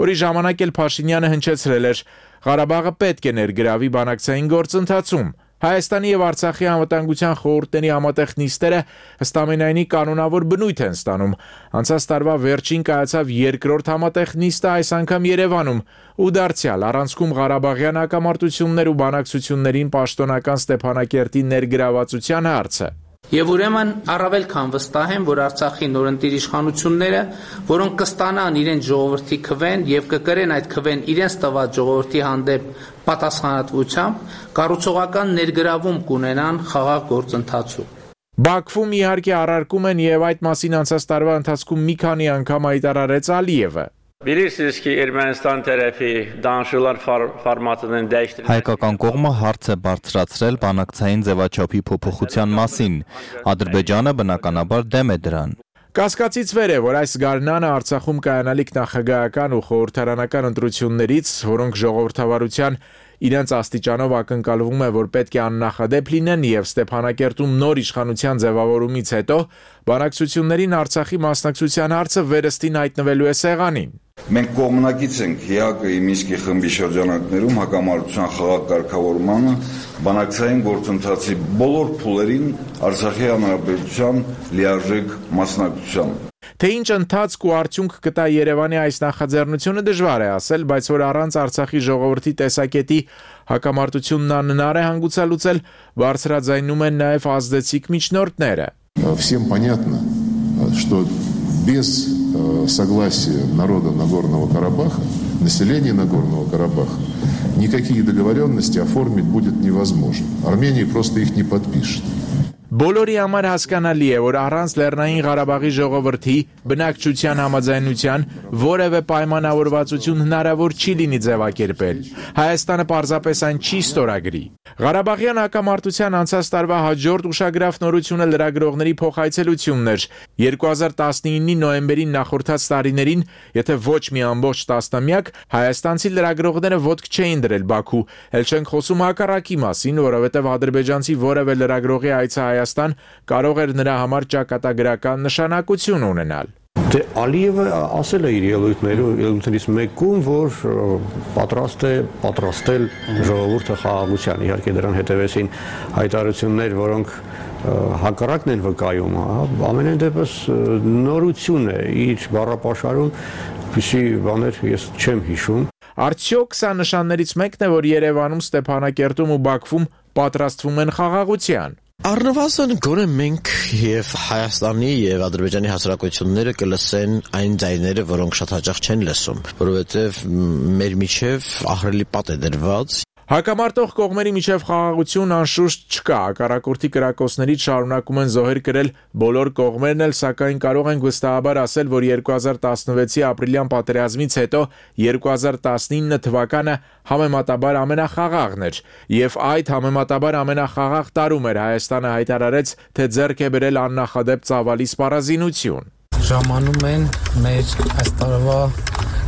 որի ժամանակ էլ Փաշինյանը հնչեցրել էր Ղարաբաղը պետք է ներգրավի բանակցային գործընթացում։ Հայաստանի եւ Արցախի անվտանգության խորհուրդների համատեղ նիստերը ըստամենայնի կանոնավոր բնույթ են ստանում։ Անցած տարվա վերջին կայացավ երկրորդ համատեղ նիստը այս անգամ Երևանում ու դարձյալ առանցքում Ղարաբաղյան հակամարտություններ ու բանակցություններին պաշտոնական Ստեփանակերտի ներգրավվածության հարցը։ Եվ ուրեմն առավել քան վստահ եմ, որ Արցախի նորընտիր իշխանությունները, որոնք կստանան իրենց ժողովրդի քվեն եւ կկրեն այդ քվեն իրենց տված ժողովրդի հանդեպ պատասխանատվությամբ, կառուցողական ներգրավում կունենան խաղաղ գործընթացում։ Բաքվում իհարկե առարկում են եւ այդ մասին անցած տարվա ընթացքում մի քանի անգամ հայտարարեց Ալիևը։ Bilirsiniz ki Ermənistan tərəfi danışıqlar formatının dəyişdirilməsi Հայկական կողմը հարց է բարձրացրել բանակցային ձևաչափի փոփոխության մասին։ Ադրբեջանը բնականաբար դեմ է դրան։ Կասկածից վեր է, որ այս գարնանը Արցախում կայանալիք նախագահական ու խորհրդարանական ընտրություններից, որոնք ժողովրդավարության իրենց աստիճանով ակնկալվում է, որ պետք է աննախադեպ լինեն եւ Ստեփանակերտում նոր իշխանության ձևավորումից հետո բանակցություններին Արցախի մասնակցության հարցը վերստին հայտնվելու է սեղանին։ Մենք կողմնակից ենք ՀԱԿ-ի Մինսկի խմբի շրջանակներում հակամարտության խաղաղ կարգավորմանը բանակցային գործընթացի բոլոր փուլերին Արցախի հանրապետության լիարժեք մասնակցությամբ։ Թե ինչ ընթացք ու արդյունք կտա Երևանի այս նախաձեռնությունը դժվար է ասել, բայց որ առանց Արցախի ժողովրդի տեսակետի հակամարտությունն անհնար է հանգուցալուծել, բարձրաձայնում են նաև ազդեցիկ միջնորդները։ Всем понятно, что без согласия народа Нагорного Карабаха, населения Нагорного Карабаха, никакие договоренности оформить будет невозможно. Армения просто их не подпишет. Բոլորի համար հասկանալի է, որ առանց Լեռնային Ղարաբաղի ժողովրդի բնակչության համաձայնության որևէ պայմանավորվածություն հնարավոր չի լինի ձևակերպել։ Հայաստանը պարզապես այն չի ստորագրի։ Ղարաբաղյան հակամարտության անցած տարվա հաջորդ ուշագրավ նորությունը լրագրողների փոխայցելությունն էր։ երկու հազար տասնինի նոյեմբերին նախորդած տարիներին, եթե ոչ մի ամբողջ տասնամյակ, հայաստանցի լրագրողները ոտք չէին դրել Բաքու, էլ չենք խոսում հակառակի մասին, որովհետև ադրբեջանցի որևէ լրագրողի այցը Հայաստան կարող էր նրա համար ճակատագրական նշանակություն ունենալ։ Դե Ալիևը ասել է իր ելույթներից մեկում, որ պատրաստ է պատրաստել ժողովուրդը խաղաղության։ Իհարկե դրան հետևեցին հայտարարություններ, որոնք հակառակն են վկայում, ամենայն դեպս նորություն է իր բառապաշարում, որպեսզի բաներ ես չեմ հիշում։ Արդյոք սա նշաններից մեկն է, որ Երևանում, Ստեփանակերտում ու Բաքվում պատրաստվում են խաղաղության։ Առնվազն գոնե մենք եւ Հայաստանի եւ Ադրբեջանի հասարակությունները կլսեն այն ձայները, որոնք շատ հաճախ չեն լսում, որովհետեւ մեր միջև ահռելի պատ է դրված։ Հակամարտող կողմերի միջև խաղաղություն անշուշտ չկա, հակառակորդի կրակոցներից շարունակում են զոհեր կրել բոլոր կողմերն էլ, սակայն կարող ենք վստահաբար ասել, որ երկու հազար տասնվեցի ապրիլյան պատերազմից հետո երկու հազար տասնինը թվականը համեմատաբար ամենախաղաղն էր, եւ այդ համեմատաբար ամենախաղաղ տարում էր Հայաստանը հայտարարեց, թե ձեռք է բերել աննախադեպ ծավալի սպառազինություն։ Ժամանում են մեր այս տարվա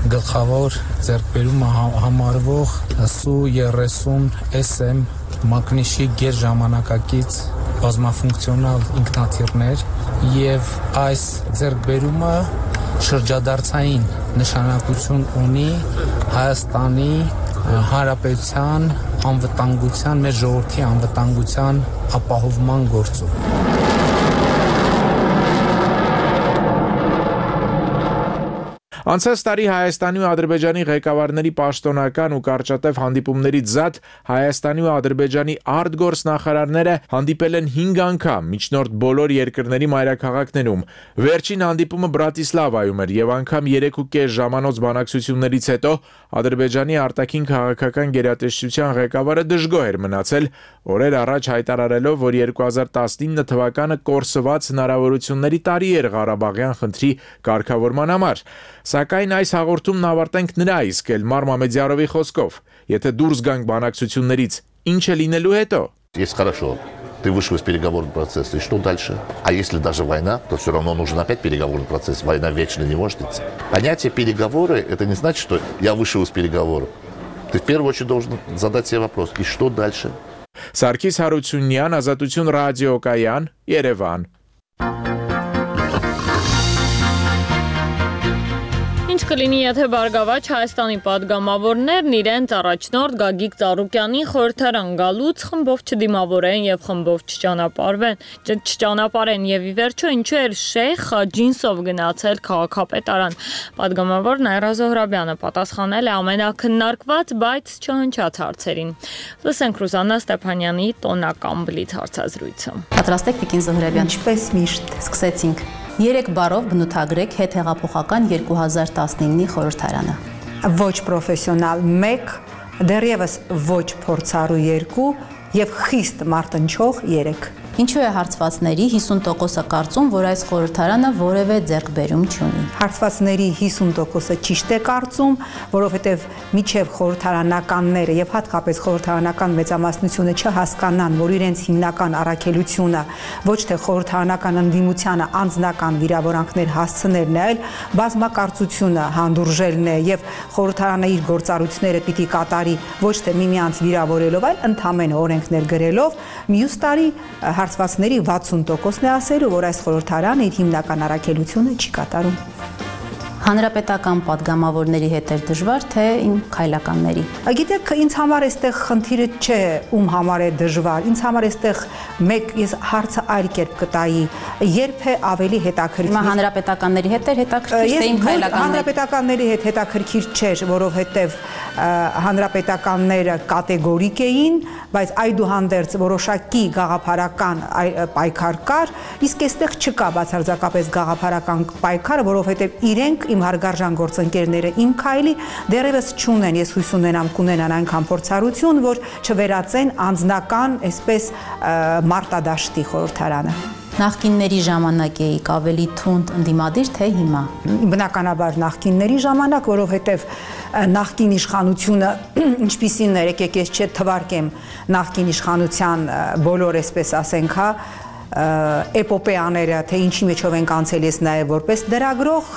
գլխավոր ձեռքբերումը համարվող Սու երեսուն էս էմ մակնիշի գերժամանակակից բազմաֆունկցիոնալ ինքնաթիռներ եւ այս ձեռքբերումը շրջադարձային նշանակություն ունի Հայաստանի Հանրապետության անվտանգության, մեր ժողովրդի անվտանգության ապահովման գործում։ Անցած տարի Հայաստանի ու Ադրբեջանի ղեկավարների պաշտոնական ու կարճատև հանդիպումներից զատ Հայաստանի ու Ադրբեջանի արտգործ նախարարները հանդիպել են հինգ անգամ միջնորդ բոլոր երկրների մայրաքաղաքներում։ Վերջին հանդիպումը Բրատիսլավայում էր եւ անգամ երեք ու կես ժամանոց բանակցություններից հետո Ադրբեջանի արտաքին քաղաքական գերատեսչության ղեկավարը դժգոհ էր մնացել, օրեր առաջ հայտարարելով, որ երկու հազար տասնինը թվականը կորսված հնարավորությունների տարի էր Ղարաբաղյան խնդրի կարգավորման համար։ Սակայն այս հաղորդումն ավարտենք նրա իսկ Էլմար Մամեդյարովի խոսքով, եթե դուրս գանք բանակցություններից, ինչ է լինելու հետո։ Есть хорошо. Ты вышел из переговорного процесса, и что дальше? А если даже война, то все равно нужен опять переговорный процесс. Война вечно не может идти. Понятие переговоры, это не значит, что я вышел из переговоров. Ты в первую очередь должен задать себе вопрос, и что дальше? Սարգիս Հարությունյան, Ազատություն ռադիոկայան, Երևան։ Ինչ կլինի, եթե Բարգավաճ Հայաստանի падգամավորներն իրենց առաջնորդ Գագիկ Ծառուկյանին խորհրդարան գալուց խմբով չդիմավորեն եւ խմբով չճանապարհվեն, չճանապարհեն եւ ի վերջո ինչու էր Շեյխ ջինսով գնացել քաղաքապետարան։ Падգամավոր Նաիրա Զոհրաբյանը պատասխանել է ամենակննարկված, բայց չհնչած հարցերին։ Լսենք Ռուզաննա Ստեփանյանի տոնական բլիթ հարցազրույցը։ Պատրաստ եք Տիկին Զոհրաբյան։ Ինչպես միշտ սկսեցինք։ Երեք բառով բնութագրեք հետհեղափոխական երկու հազար տասնինի խորհրդարանը։ Ոչ պրոֆեսիոնալ մեկ, դեռևս ոչ փորձառու երկու եւ խիստ մարտնչող երեք։ Ինչու է հարցվածների հիսուն տոկոսը կարծում, որ այս խորհրդարանը որևէ ձեռքբերում չունի։ Հարցվածների հիսուն տոկոսը ճիշտ է կարծում, որովհետև միջև խորհրդարանականները եւ հատկապես խորհրդարանական մեծամասնությունը չհասկանան, որ իրենց հիմնական առաքելությունը ոչ թե խորհրդարանական ընդդիմությանը անձնական վիրավորանքներ հասցնելն է, այլ բազմակարծությունը հանդուրժելն է եւ խորհրդարանը իր գործառույթները պիտի կատարի ոչ թե միմյանց վիրավորելով, այլ ընդհանրեն օրենքներ գրելով, մյուս տարի հարցվածների վաթսուն տոկոսն է ասելու, որ այս խորհրդարանը իր հիմնական առաքելությունը չի կատարում։ Հանրապետական падգամավորների հետ էր դժվար, թե իմ քայլականների։ Գիտեք, ինձ համար այստեղ խնդիրը չէ, ում համար է դժվար։ Ինձ համար այստեղ մեկ ես հարցը այլ կերպ կտայի, երբ է ավելի հետաքրքիր։ Հիմա հանրապետականների հետ էր հետաքրքիր, թե իմ քայլականների։ Հանրապետականների հետ հետաքրքիր չէր, որովհետև հանրապետականները կատեգորիկ էին, բայց այդուհանդերձ որոշակի գաղափարական պայքար կար, իսկ այստեղ չկա բացարձակապես գաղափարական պայքար, որովհետև իրենք իմ հարգարժան գործընկերները իմ քայլի դեռևս չունեն, ես հույս ունենամ կունենան այնքան փորձառություն, որ չվերածեն անձնական, այսպես մարտադաշտի խորհրդարանը։ Նախկինների ժամանակ էիք ավելի թունդ ընդդիմադիր, թե հիմա։ Բնականաբար նախկինների ժամանակ, որովհետև նախկին իշխանությունը ինչպիսին էր, եկեք ես չէ թվարկեմ նախկին իշխանության բոլոր, այսպես ասենք, հա, էպոպեաները, թե ինչի մեջով ենք անցել ես նաև որպես դրագրող,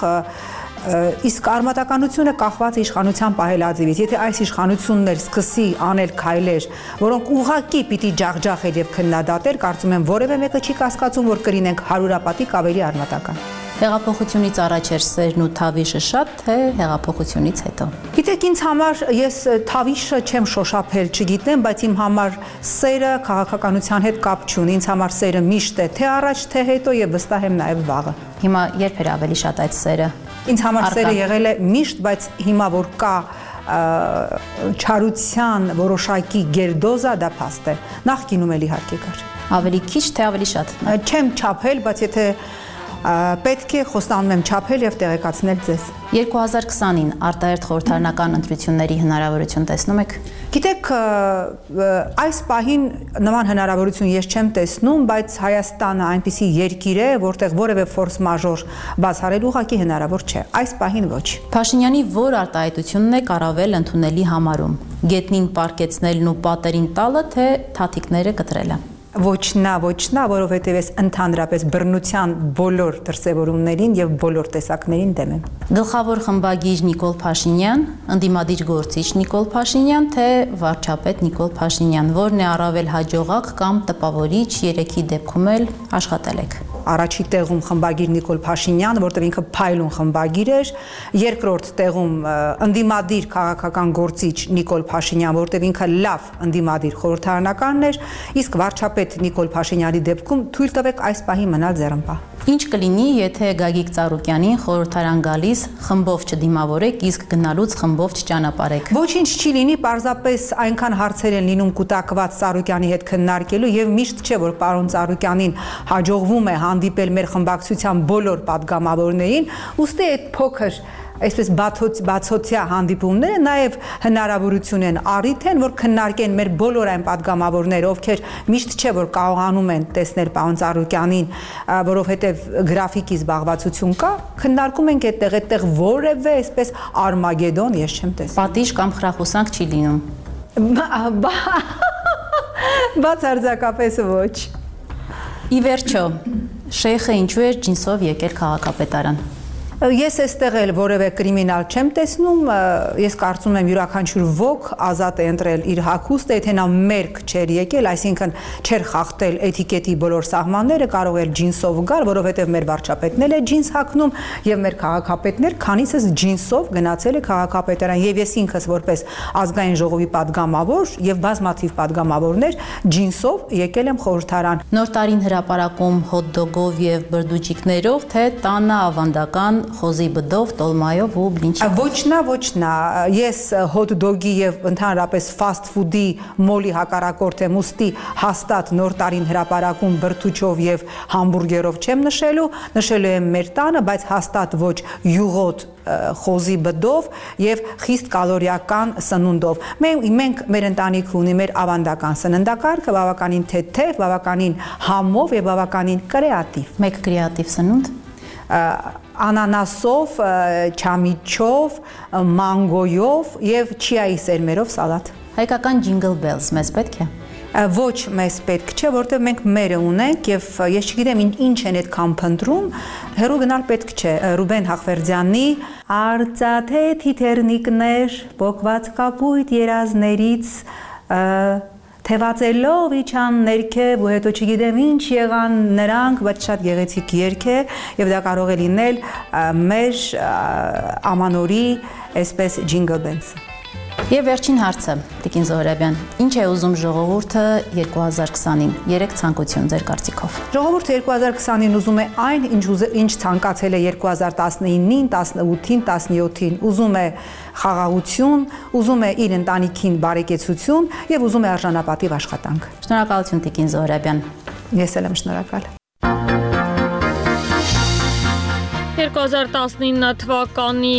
իսկ արմատականությունը կախված է իշխանության պահելաձևից։ Եթե այս իշխանությունն էլ սկսի անել քայլեր, որոնք ուղղակի պիտի ջախջախել եւ քննադատել, կարծում եմ որևէ մեկը չի կասկածում, որ կլինենք հարյուրապատիկ ավելի արմատական։ Հեղափոխությունից առաջ էր սերն ու թավիշը շատ, թե հեղափոխությունից հետո։ Գիտեք, ինձ համար ես թավիշը չեմ շոշափել, չգիտեմ, բայց իմ համար սերը քաղաքականության հետ կապ չունի։ Ինձ համար սերը միշտ է, թե առաջ, թե հետո եւ վստահ եմ նաեւ վաղը։ Հիմա երբ էր ավելի շատ այդ սերը։ Ինձ համար սերը եղել է միշտ, բայց հիմա որ կա չարության որոշակի գերդոզա, դա փաստ է։ Նախկինում էլ իհարկե կար։ Ավելի քիչ, թե ավելի շատ։ Չեմ չափել, բայց եթե պետք է խոստանում եմ չափել եւ տեղեկացնել ձեզ։ երկու հազար քսանին արտահերթ խորհրդարանական ընտրությունների հնարավորություն տեսնում եք։ Գիտեք, այս պահին նման հնարավորություն ես չեմ տեսնում, բայց Հայաստանը այնպիսի երկիր է, որտեղ որևէ ֆորս մաժոր բացառել ուղղակի հնարավոր չէ։ Այս պահին ոչ։ Փաշինյանի որ արտահայտությունն է կառավել ընդունելի համարում։ Գետնին պարկեցնելն ու պատերին տալը, թե թաթիկները կտրելը։ Ոչ նա, ոչ նա, որովհետև ես ընդհանրապես բռնության բոլոր դրսևորումներին եւ բոլոր տեսակներին դեմ եմ։ Գլխավոր խմբագիր Նիկոլ Փաշինյան, ընդդիմադիր գործիչ Նիկոլ Փաշինյան, թե վարչապետ Նիկոլ Փաշինյան, որն է առավել հաջողակ կամ տպավորիչ, երեքի դեպքում էլ աշխատել եք։ Առաջի տեղում խմբագիր Նիկոլ Փաշինյան, որտեղ ինքը փայլուն խմբագիր էր, երկրորդ տեղում ընդդիմադիր քաղաքական գործիչ Նիկոլ Փաշինյան, որտեղ ինքը լավ ընդդիմադիր խորհրդարանականն էր, իսկ վարչապետ Նիկոլ Փաշինյանի դեպքում թույլ տվեք այս պահի մնալ ձեռնպահ։ Ինչ կլինի, եթե Գագիկ Ծառուկյանին խորհրդարան գալիս խմբով չդիմավորեք, իսկ գնալուց խմբով չճանապարհեք։ Ոչինչ չի լինի, պարզապես այնքան հարցեր են լինում կուտակված Ծառուկյանի հետ քննարկելու եւ միշտ չէ, որ պարոն Ծառուկյանին հաջողվում է հանդիպել մեր խմբակցության բոլոր падգամավորներին, ուստի այդ փոքր այսպես բացօթյա հանդիպումները նաև հնարավորություն են առիթ են, որ քննարկեն մեր բոլոր այն падգամավորները, ովքեր միշտ չէ որ կարողանում են տեսնել պարոն Ծառուկյանին, որովհետև գրաֆիկի զբաղվածություն կա, քննարկում ենք այդտեղ, այդտեղ որևէ այսպես արմագեդոն ես չեմ տեսնում։ Պատիժ կամ խրախուսանք չի լինում։ Բացարձակապես ոչ։ Ի վերջո, Շեյխը ինչու էր ջինսով եկել քաղաքապետարան։ Ես այստեղ էլ որևէ կրիմինալ չեմ տեսնում, ես կարծում եմ յուրաքանչյուր ոք ազատ է ընտրել իր հագուստը, եթե նա մերկ չէր եկել, այսինքն չէր խախտել էթիկետի բոլոր սահմանները, կարող էր ջինսով գալ, որովհետև մեր վարչապետն էլ է ջինս հագնում եւ մեր քաղաքապետներ քանիսս ջինսով գնացել է քաղաքապետարան եւ ես ինքս որպես ազգային ժողովի падգամավոր եւ բազմաթիվ падգամավորներ ջինսով եկել եմ խորհրդարան։ Նոր տարին հրապարակում հոտ-դոգով եւ բրդուճիկներով, թե տանը ավանդական խոզի բդով, տոլմայով ու բլինչիկով։ Ոչ նա, ոչ նա։ Ես հոտ-դոգի եւ ընդհանրապես ֆասթ ֆուդի մոլի հակառակորդ եմ, ուստի հաստատ նոր տարին հրապարակում բրդուճով եւ համբուրգերով չեմ նշելու, նշելու եմ մեր տանը, բայց հաստատ ոչ յուղոտ խոզի բդով եւ խիստ կալորիական սնունդով։ Մենք մենք մեր ընտանիքը ունի մեր ավանդական սննդակարգը, բավականին թեթև, բավականին համով եւ բավականին կրեատիվ։ Մեկ կրեատիվ սնունդ անանասով, չամիչով, մանգոյով եւ չիայի սերմերով սալատ։ Հայկական ջինգլ բելս մեզ պետք է։ Ոչ մեզ պետք չէ, որտեղ մենք մերը ունենք եւ ես չգիտեմ ինչ են այդքան փնտրում, հերո գնալ պետք չէ։ Ռուբեն Հախվերդյանի արծաթե թիթեռնիկներ բոկված կապույտ երազներից թևածելով իջան ներքև ու հետո չգիտեմ ինչ եղան նրանք, բայց շատ գեղեցիկ երգ է եւ դա կարող է լինել մեր ամանորի այսպես ջինգլ բելսը։ Եվ վերջին հարցը, Տիկին Զոհրաբյան, ինչ է ուզում ժողովուրդը երկու հազար քսանին, երեք ցանկություն ձեր կարծիքով։ Ժողովուրդը երկու հազար քսանին ուզում է այն, ինչ ինչ ցանկացել է երկու հազար տասնինին, տասնութին, տասնյոթին, ուզում է խաղաղություն, ուզում է իր ընտանիքին բարեկեցություն եւ ուզում է արժանապատիվ աշխատանք։ Շնորհակալություն Տիկին Զոհրաբյան։ Ես էլ եմ շնորհակալ։ երկու հազար տասնինը թվականի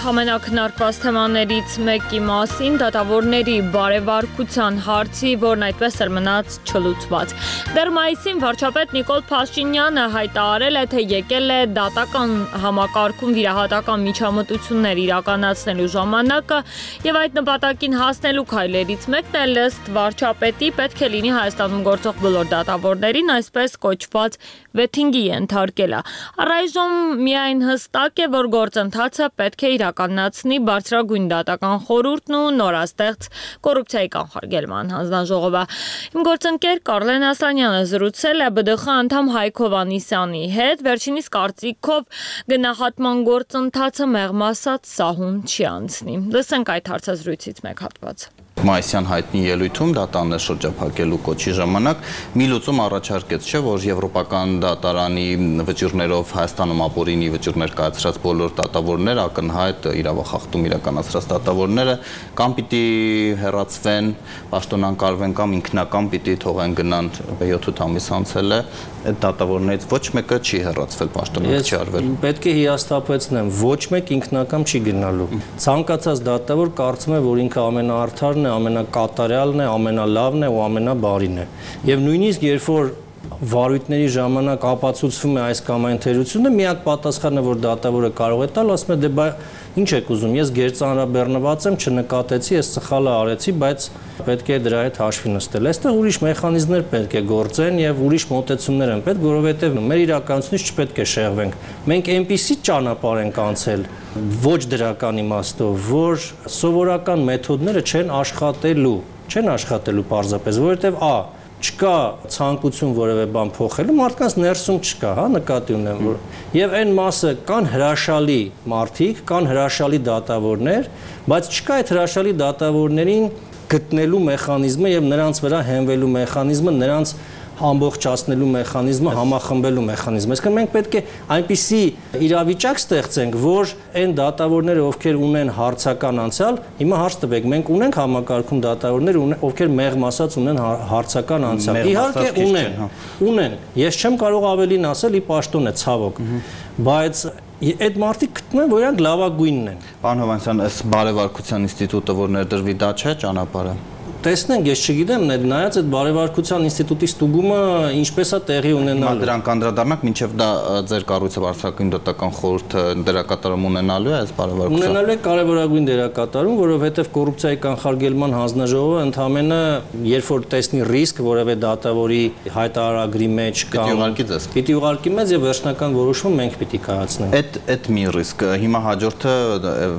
ամենակնարկված թեմաներից մեկի մասին դատավորների բարեվարկության հարցի, որն այդպես էր մնաց չլուծված։ Դեռ մայիսին վարչապետ Նիկոլ Փաշինյանը հայտարարել է, թե եկել է դատական համակարգում վիրահատական միջամտություններ իրականացնելու ժամանակը եւ այդ նպատակին հասնելու քայլերից մեկն էլ ըստ վարչապետի պետք է լինի Հայաստանում գործող բոլոր դատավորներին այսպես կոչված վեթինգի ենթարկելը։ Առայժմ միայն հստակ է, որ գործընթացը պետք է իրականացնի բարձրագույն դատական խորհուրդն ու նորաստեղծ կոռուպցիայի կանխարգելման հանձնաժողովը։ Իմ գործընկեր Կարլեն Ասլանյանը զրուցել է ԲԴԽ անդամ Հայկ Հովհաննիսյանի հետ, վերջինիս կարծիքով գնահատման գործընթացը մեղմ ասած սահուն չի անցնի։ Լսենք այդ հարցազրույցից մեկ հատված։ Մայիսյան հայտնի ելույթում դատաններ շրջափակելու կոչի ժամանակ մի լուծում առաջարկեց, չէ, որ եվրոպական դատարանի վճիռներով Հայաստանում ապօրինի վճիռներ կայացրած բոլոր դատավորները, ակնհայտ իրավախախտում իրականացրած դատավորները կամ պիտի հեռացվեն, պաշտոնանկարվեն կամ ինքնական պիտի թողեն գնան, յոթ ամիս անցել է, այդ դատավորներից ոչ մեկը չի հեռացվել, պաշտոնանկ չի արվել։ Պետք է հիասթափեցնեմ, ոչ մեկ ինքնական չի գնալու։ Ցանկացած դատավոր կարծում է, որ ինքը ամենաարդարն է, ամենակատարյալն է, ամենալավն է ու ամենաբարին է։ Եվ նույնիսկ երբ որ վարույթների ժամանակ ապացուցվում է այս կամ այն թերությունը, միակ պատասխանը, որ դատավորը կարող է տալ, ասում է դե բայ ինչ եք ուզում, ես գերծանրաբեռնված եմ, չնկատեցի, ես սխալը արեցի, բայց պետք է դրա հետ հաշվի նստել։ Այստեղ ուրիշ մեխանիզմներ պետք է գործեն եւ ուրիշ մոտեցումներ են պետք, որովհետեւ մեր իրականությունից չպետք է շեղվենք։ Մենք այնպիսի ճանապարհ ենք անցել ոչ դրական իմաստով, որ սովորական մեթոդները չեն աշխատելու, չեն աշխատելու պարզապես, որովհետեւ ա չկա ցանկություն որևէ բան փոխելու, մարդկանց ներսում չկա, հա, նկատի ունեմ, որ եւ այն մասը կան հրաշալի մարդիկ, կան հրաշալի դատավորներ, բայց չկա այդ հրաշալի դատավորներին գտնելու մեխանիզմը եւ նրանց վրա հենվելու մեխանիզմը, նրանց ամբողջացնելու մեխանիզմը, համախմբելու մեխանիզմը։ Այսինքն մենք պետք է այնպիսի իրավիճակ ստեղծենք, որ այն դատավորները, ովքեր ունեն հարցական անցյալ, հիմա հարց տվեք, մենք ունենք համակարգում դատավորներ, ովքեր մեղմ ասած ունեն հարցական անցյալ։ Իհարկե ունեն, ունեն։ Ես չեմ կարող ավելին ասել, ի պաշտոն է, ցավոք, բայց այդ մարդիկ գտնում են, որ իրանք լավագույնն են։ Պարոն Հովհաննիսյան, այս բարեվարկության ինստիտուտը, որ ներդրվի, դա չէ ճանապարհը։ տեսնենք, ես չգիտեմ, նայած այդ բարևարկության ինստիտուտի ստուգումը ինչպես է տեղի ունենալու։ Դրանք անդրադառնանք, մինչև դա ձեր կառույցը Վարչական դատական խորհուրդը դերակատարում ունենալու է այս բարևարկության։ Ունենալու է կարևորագույն դերակատարում, որովհետև կոռուպցիայի կանխարգելման հանձնաժողովը ընդհանրապես երբ որ տեսնի ռիսկ որևէ դատավորի հայտարարագրի մեջ կամ պիտի ուղարկի մեզ եւ վերջնական որոշումը մենք պիտի կայացնենք։ Այդ այդ մի ռիսկ։ Հիմա հաջորդը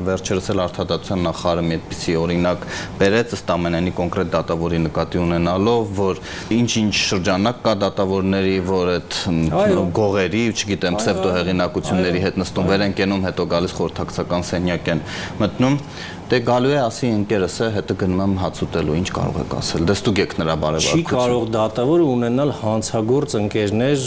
վերջերս էլ Արդարադատության նախարարը մի այդպիսի օրինակ բերեց ըստ ամենայնի կոնկրետ դատավորի նկատի ունենալով, որ ինչ-ինչ շրջանակ կա դատավորների, որ այդ գողերի, չգիտեմ, պսևդոհեղինակությունների հետ նստում վեր են կենում, հետո գալիս խորհրդակցական սենյակ են մտնում։ Դե գալու է ասի ընկերս է, հետո գնում եմ հաց ուտելու, ինչ կարող եք ասել։ Դե ստուգեք նրա բարևարկությունը։ Չի կարող դատավորը ունենալ հանցագործ ընկերներ։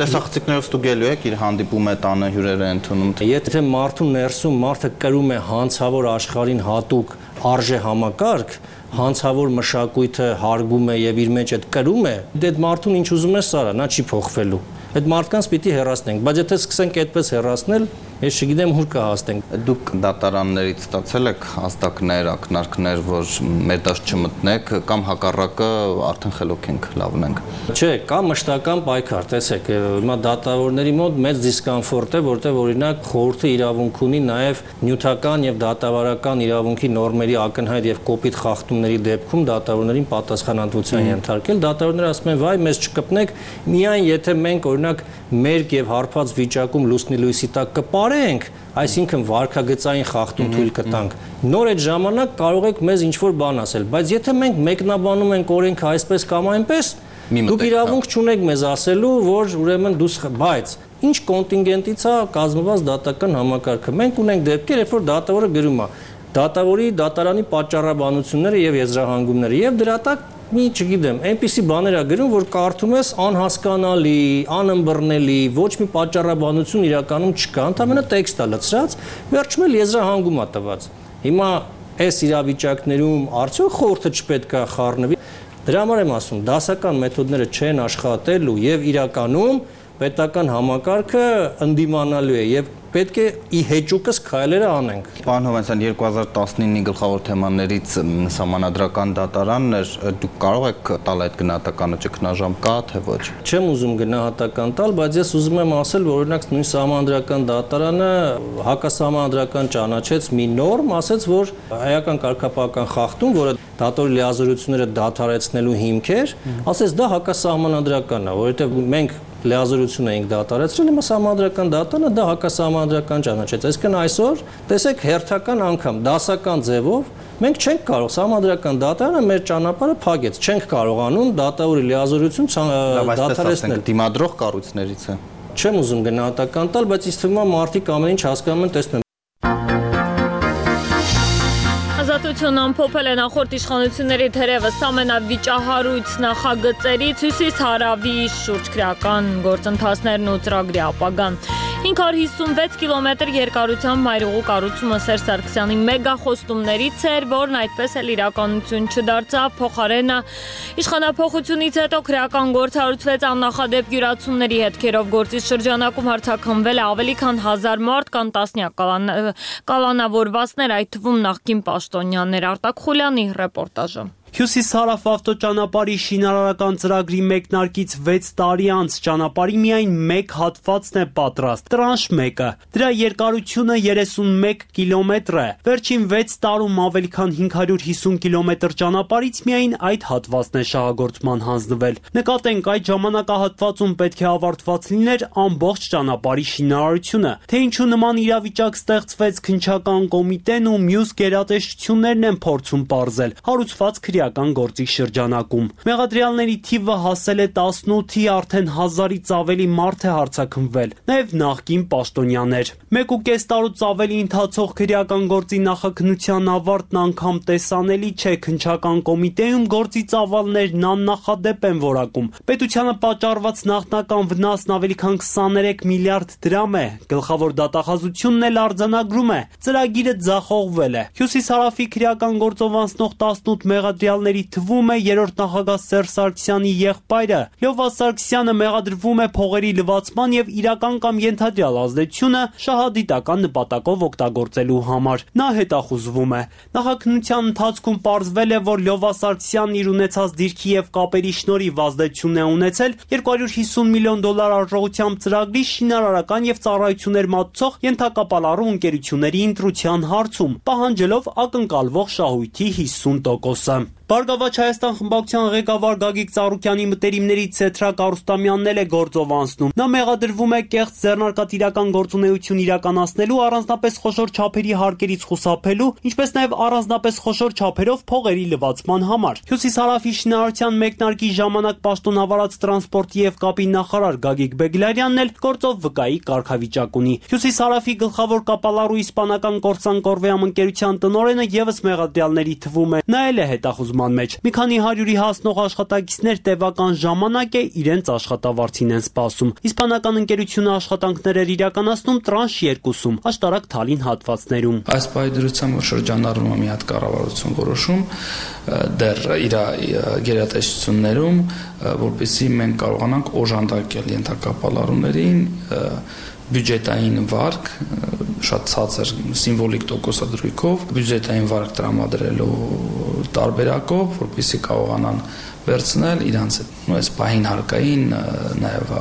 Տեսախցիկներով ստուգելու եք, իր հանդիպում է տանը հյուրերը ընդունում։ Եթե մարդու ներսում մարդը կրում է հանցավոր աշխարհին հատուկ արժե համակարգ, հանցավոր մշակույթը հարգում է եւ իր մեջ այդ կրում է, դե այդ մարդուն ինչ ուզում է սարա, նա չի փոխվելու։ Այդ մարդկանց պիտի հեռացնենք, բայց եթե սկսենք այդպես հեռացնել, ես չգիտեմ ուր կհասնենք։ Դուք դատարաններից ստացել եք հաստակներ, ակնարկներ, որ մեր դաշտ չմտնեք, կամ հակառակը արդեն խելոք ենք, լավն ենք։ Չէ, կա մշտական պայքար, տեսեք, հիմա դատավորների մոտ մեծ դիսկոմֆորտ է, որտեղ օրինակ խորհուրդը իրավունք ունի նաև նյութական եւ դատավարական իրավունքի նորմերի ակնհայտ եւ կոպիտ խախտումների դեպքում դատավորներին պատասխանատվության ենթարկել։ Դատավորները ասում են, վայ, մեզ չկպնեք, միայն եթե մենք օրինակ մերկ եւ հարբած վիճակում լուսնի լույսի տակ կպարենք, այսինքն վարքագծային խախտում թույլ կտանք, նոր այդ ժամանակ կարող եք մեզ ինչ-որ բան ասել, բայց եթե մենք մեկնաբանում ենք օրենքը այսպես կամ այնպես, դուք իրավունք չունեք մեզ ասելու, որ ուրեմն դուս, բայց ինչ կոնտինգենտից է կազմված դատական համակարգը։ Մենք ունենք դեպքեր, երբ որ դատավորը գրում է դատավորի դատարանի պատճառաբանությունները եւ եզրահանգումները եւ դրա տակ մի չգիտեմ, այնպիսի բաներ է գրում, որ կարդում ես անհասկանալի, անըմբռնելի, ոչ մի պատճառաբանություն իրականում չկա, ընդհանրապես տեքստ է լցրած, վերջում էլ եզրահանգում է տված։ Հիմա այս իրավիճակներում արդյոք խորհուրդը չպետք է խառնվի։ Դրա համար եմ ասում, դասական մեթոդները չեն աշխատելու եւ իրականում պետական համակարգը ընդդիմանալու է եւ պետք է ի հեճուկս քայլերը անենք։ Պարոն Հովանեսյան, երկու հազար տասնինի գլխավոր թեմաներից սահմանադրական դատարանն էր, դուք կարող եք տալ այդ գնահատականը, ճգնաժամ կա թե ոչ։ Չեմ ուզում գնահատական տալ, բայց ես ուզում եմ ասել, որ օրինակ նույն սահմանադրական դատարանը հակասահմանադրական ճանաչեց մի նորմ, ասեց, որ հայական կարգապահական խախտում, որը դատորի լիազորությունները դադարեցնելու հիմք էր, ասեց դա հակասահմանադրական է, որովհետև մենք լիազորություն էինք դատարեցրել, հիմա սահմանադրական դատարանը դա հակասահմանադրական ճանաչեց։ Այսինքն այսօր տեսեք հերթական անգամ դասական ձևով մենք չենք կարող սահմանադրական դատարանը մեր ճանապարհը փակեց, չենք կարողանում դատավորի լիազորություն դատարեցնել։ Դիմադրող կառույցներից է։ Չեմ ուզում գնահատական տալ, բայց ինձ թվում է մարդիկ ամեն ինչ հասկանում են, տեսնում են։ Ազատություն ամփոփել է նախորդ իշխանությունների թերևս ամենավիճահարույց նախագծերից հյուսիս-հարավի շուրջ քրեական գործընթացներն ու ծրագրի ապագան։ հինգ հարյուր հիսունվեց կիլոմետր երկարությամբ մայրուղու կառուցումը Սերժ Սարգսյանի մեգախոստումներից էր, որն այդպես էլ իրականություն չդարձավ, փոխարենը իշխանափոխությունից հետո քրեական գործ հարուցվեց աննախադեպ յուրացումների հետքերով, գործի շրջանակում հարձակվվել է ավելի քան հազար մարդ, կան տասնյակ կալանավորվածներ, այդ թվում նախկին պաշտոնյաներ։ Արտակ Խուլյանի ռեպորտաժը։ Հյուսիս-հարավ ավտոճանապարհի շինարարական ծրագրի մեկնարկից վեց տարի անց ճանապարհի միայն մեկ հատվածն է պատրաստ, տրանշ մեկը։ Դրա երկարությունը երեսունմեկ կիլոմետր է։ Վերջին վեց տարում ավելի քան հինգ հարյուր հիսուն կիլոմետր ճանապարհից միայն այդ հատվածն է շահագործման հանձնվել։ Նկատենք, այդ ժամանակահատվածում պետք է ավարտված լիներ ամբողջ ճանապարհի շինարարությունը։ Թե ինչու նման իրավիճակ ստեղծվեց, քննչական կոմիտեն ու մյուս գերատեսչություններն են փորձում պարզել։ Հարուցված քրեական գործի շրջանակում մեղադրյալների թիվը հասել է տասնութի, արդեն հազարից ավելի մարդ է հարձակվվել, նաև նախկին պաշտոնյաներ։ Մեկ ու կես տարուց ավելի ընթացող քրեական գործի նախաքննության ավարտն անգամ տեսանելի չէ, քննչական կոմիտեում գործի ծավալներն աննախադեպ են որակում։ Պետությանը պատճառված նախնական վնասն ավելի քան քսաներեք միլիարդ դրամ է, գլխավոր դատախազությունն էլ արձանագրում է, ծրագիրը ձախողվել է։ Հյուսիս-հարավի քրեական գործով անցնող տասնութ մեղադրյալ մեղադրյալների թվում է երրորդ նախագահ Սերժ Սարգսյանի եղբայրը։ Լյովա Սարգսյանը մեղադրվում է փողերի լվացման եւ իրական կամ ենթադրյալ ազդեցությունը շահադիտական նպատակով օգտագործելու համար։ Նա հետախուզվում է։ Նախաքննության ընթացքում պարզվել է, որ Լյովա Սարգսյանն իր ունեցած դիրքի եւ կապերի շնորհիվ ազդեցություն է ունեցել երկու հարյուր հիսուն միլիոն դոլար արժողությամբ ծրագրի շինարարական եւ ծառայություններ մատուցող ենթակապալառու ընկերությունների ընտրության հարցում, պահանջելով ակնկալվող շահույթի հիսուն տոկոսը։ Բարգավաճ Հայաստան խմբակցության ղեկավար Գագիկ Ծառուկյանի մտերիմներից Սեթրակ Արուստամյանն էլ է գործով անցնում։ Նա մեղադրվում է կեղծ ձեռնարկատիրական գործունեություն իրականացնելու, առանձնապես խոշոր չափերի հարկերից խուսափելու, ինչպես նաև առանձնապես խոշոր չափերով փողերի լվացման համար։ Հյուսիսարավի շինարարության մեկնարկի ժամանակ պաշտոնավարած տրանսպորտի եւ կապի նախարար Գագիկ Բեգլարյանն էլ գործով վկայի կարգավիճակ ունի։ Հյուսիսարավի գլխավոր կապալառու իսպանական Կորսան Կորվեամ ընկերության տնօրենը եւս մեղադրյալների թվում է։ Նա էլ է հետախուզման մեջ։ Մի քանի հարյուրի հասնող աշխատակիցներ տևական ժամանակ է իրենց աշխատավարձին են սպասում։ Իսպանական ընկերությունը աշխատանքներ էր իրականացնում տրանշ երկուսում, աշտարակ Թալին հատվածներում։ Այս պայդրությամբ շրջանառվում է մի հատ կառավարություն որոշում դեռ իր գերատեսչություններում, որպեսզի մենք կարողանանք օժանդակել ենթակապալառուներին բյուջետային վարկ շատ ցածր սիմվոլիկ տոկոսադրույքով բյուջետային վարկ տրամադրելու տարբերակով, որպեսզի կարողանան վերցնել իրանց այս պահին հարկային նաև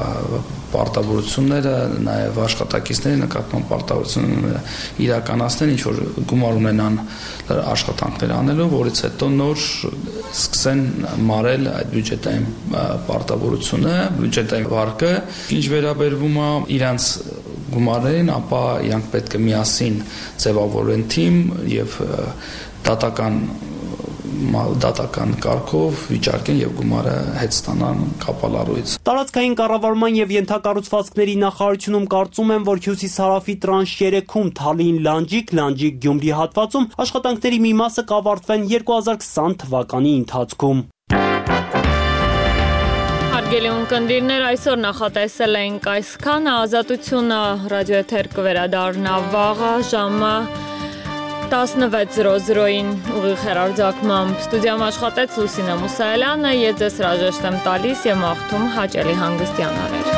պարտավորությունները, նաև աշխատակիցների նկատմամբ պարտավորությունները իրականացնեն, ինչ որ գումար ունենան աշխատանքներ անելու, որից հետո նոր սկսեն մարել այդ բյուջետային պարտավորությունը, բյուջետային վարկը, ինչ վերաբերվում է իրանց գումարներին, ապա իրանք պետք է միասին ձևավորեն թիմ եւ դատական դատական կարգով վիճարկեն եւ գումարը հետ ստանան կապալառուից։ Տարածքային կառավարման եւ ենթակառուցվածքների նախարարությունում կարծում են, որ Հյուսիսարավի տրանշ երեքում Թալին Լանջիկ, Լանջիկ Գյումրի հատվածում աշխատանքների մի մասը կավարտվեն երկու հազար քսան թվականի ընթացքում։ Հարգելի ունկնդիրներ, այսօր նախատեսել ենք այսքանը, Ազատությունը ռադիոեթեր կվերադառնա վաղը ժամը տասնվեց զրո զրոին ուղիղ հեռարձակմամբ ստուդիայում աշխատեց Լուսինե Մուսայելյանը, ես ձեզ հրաժեշտ եմ տալիս եւ մաղթում հաճելի հանգստյան օրեր։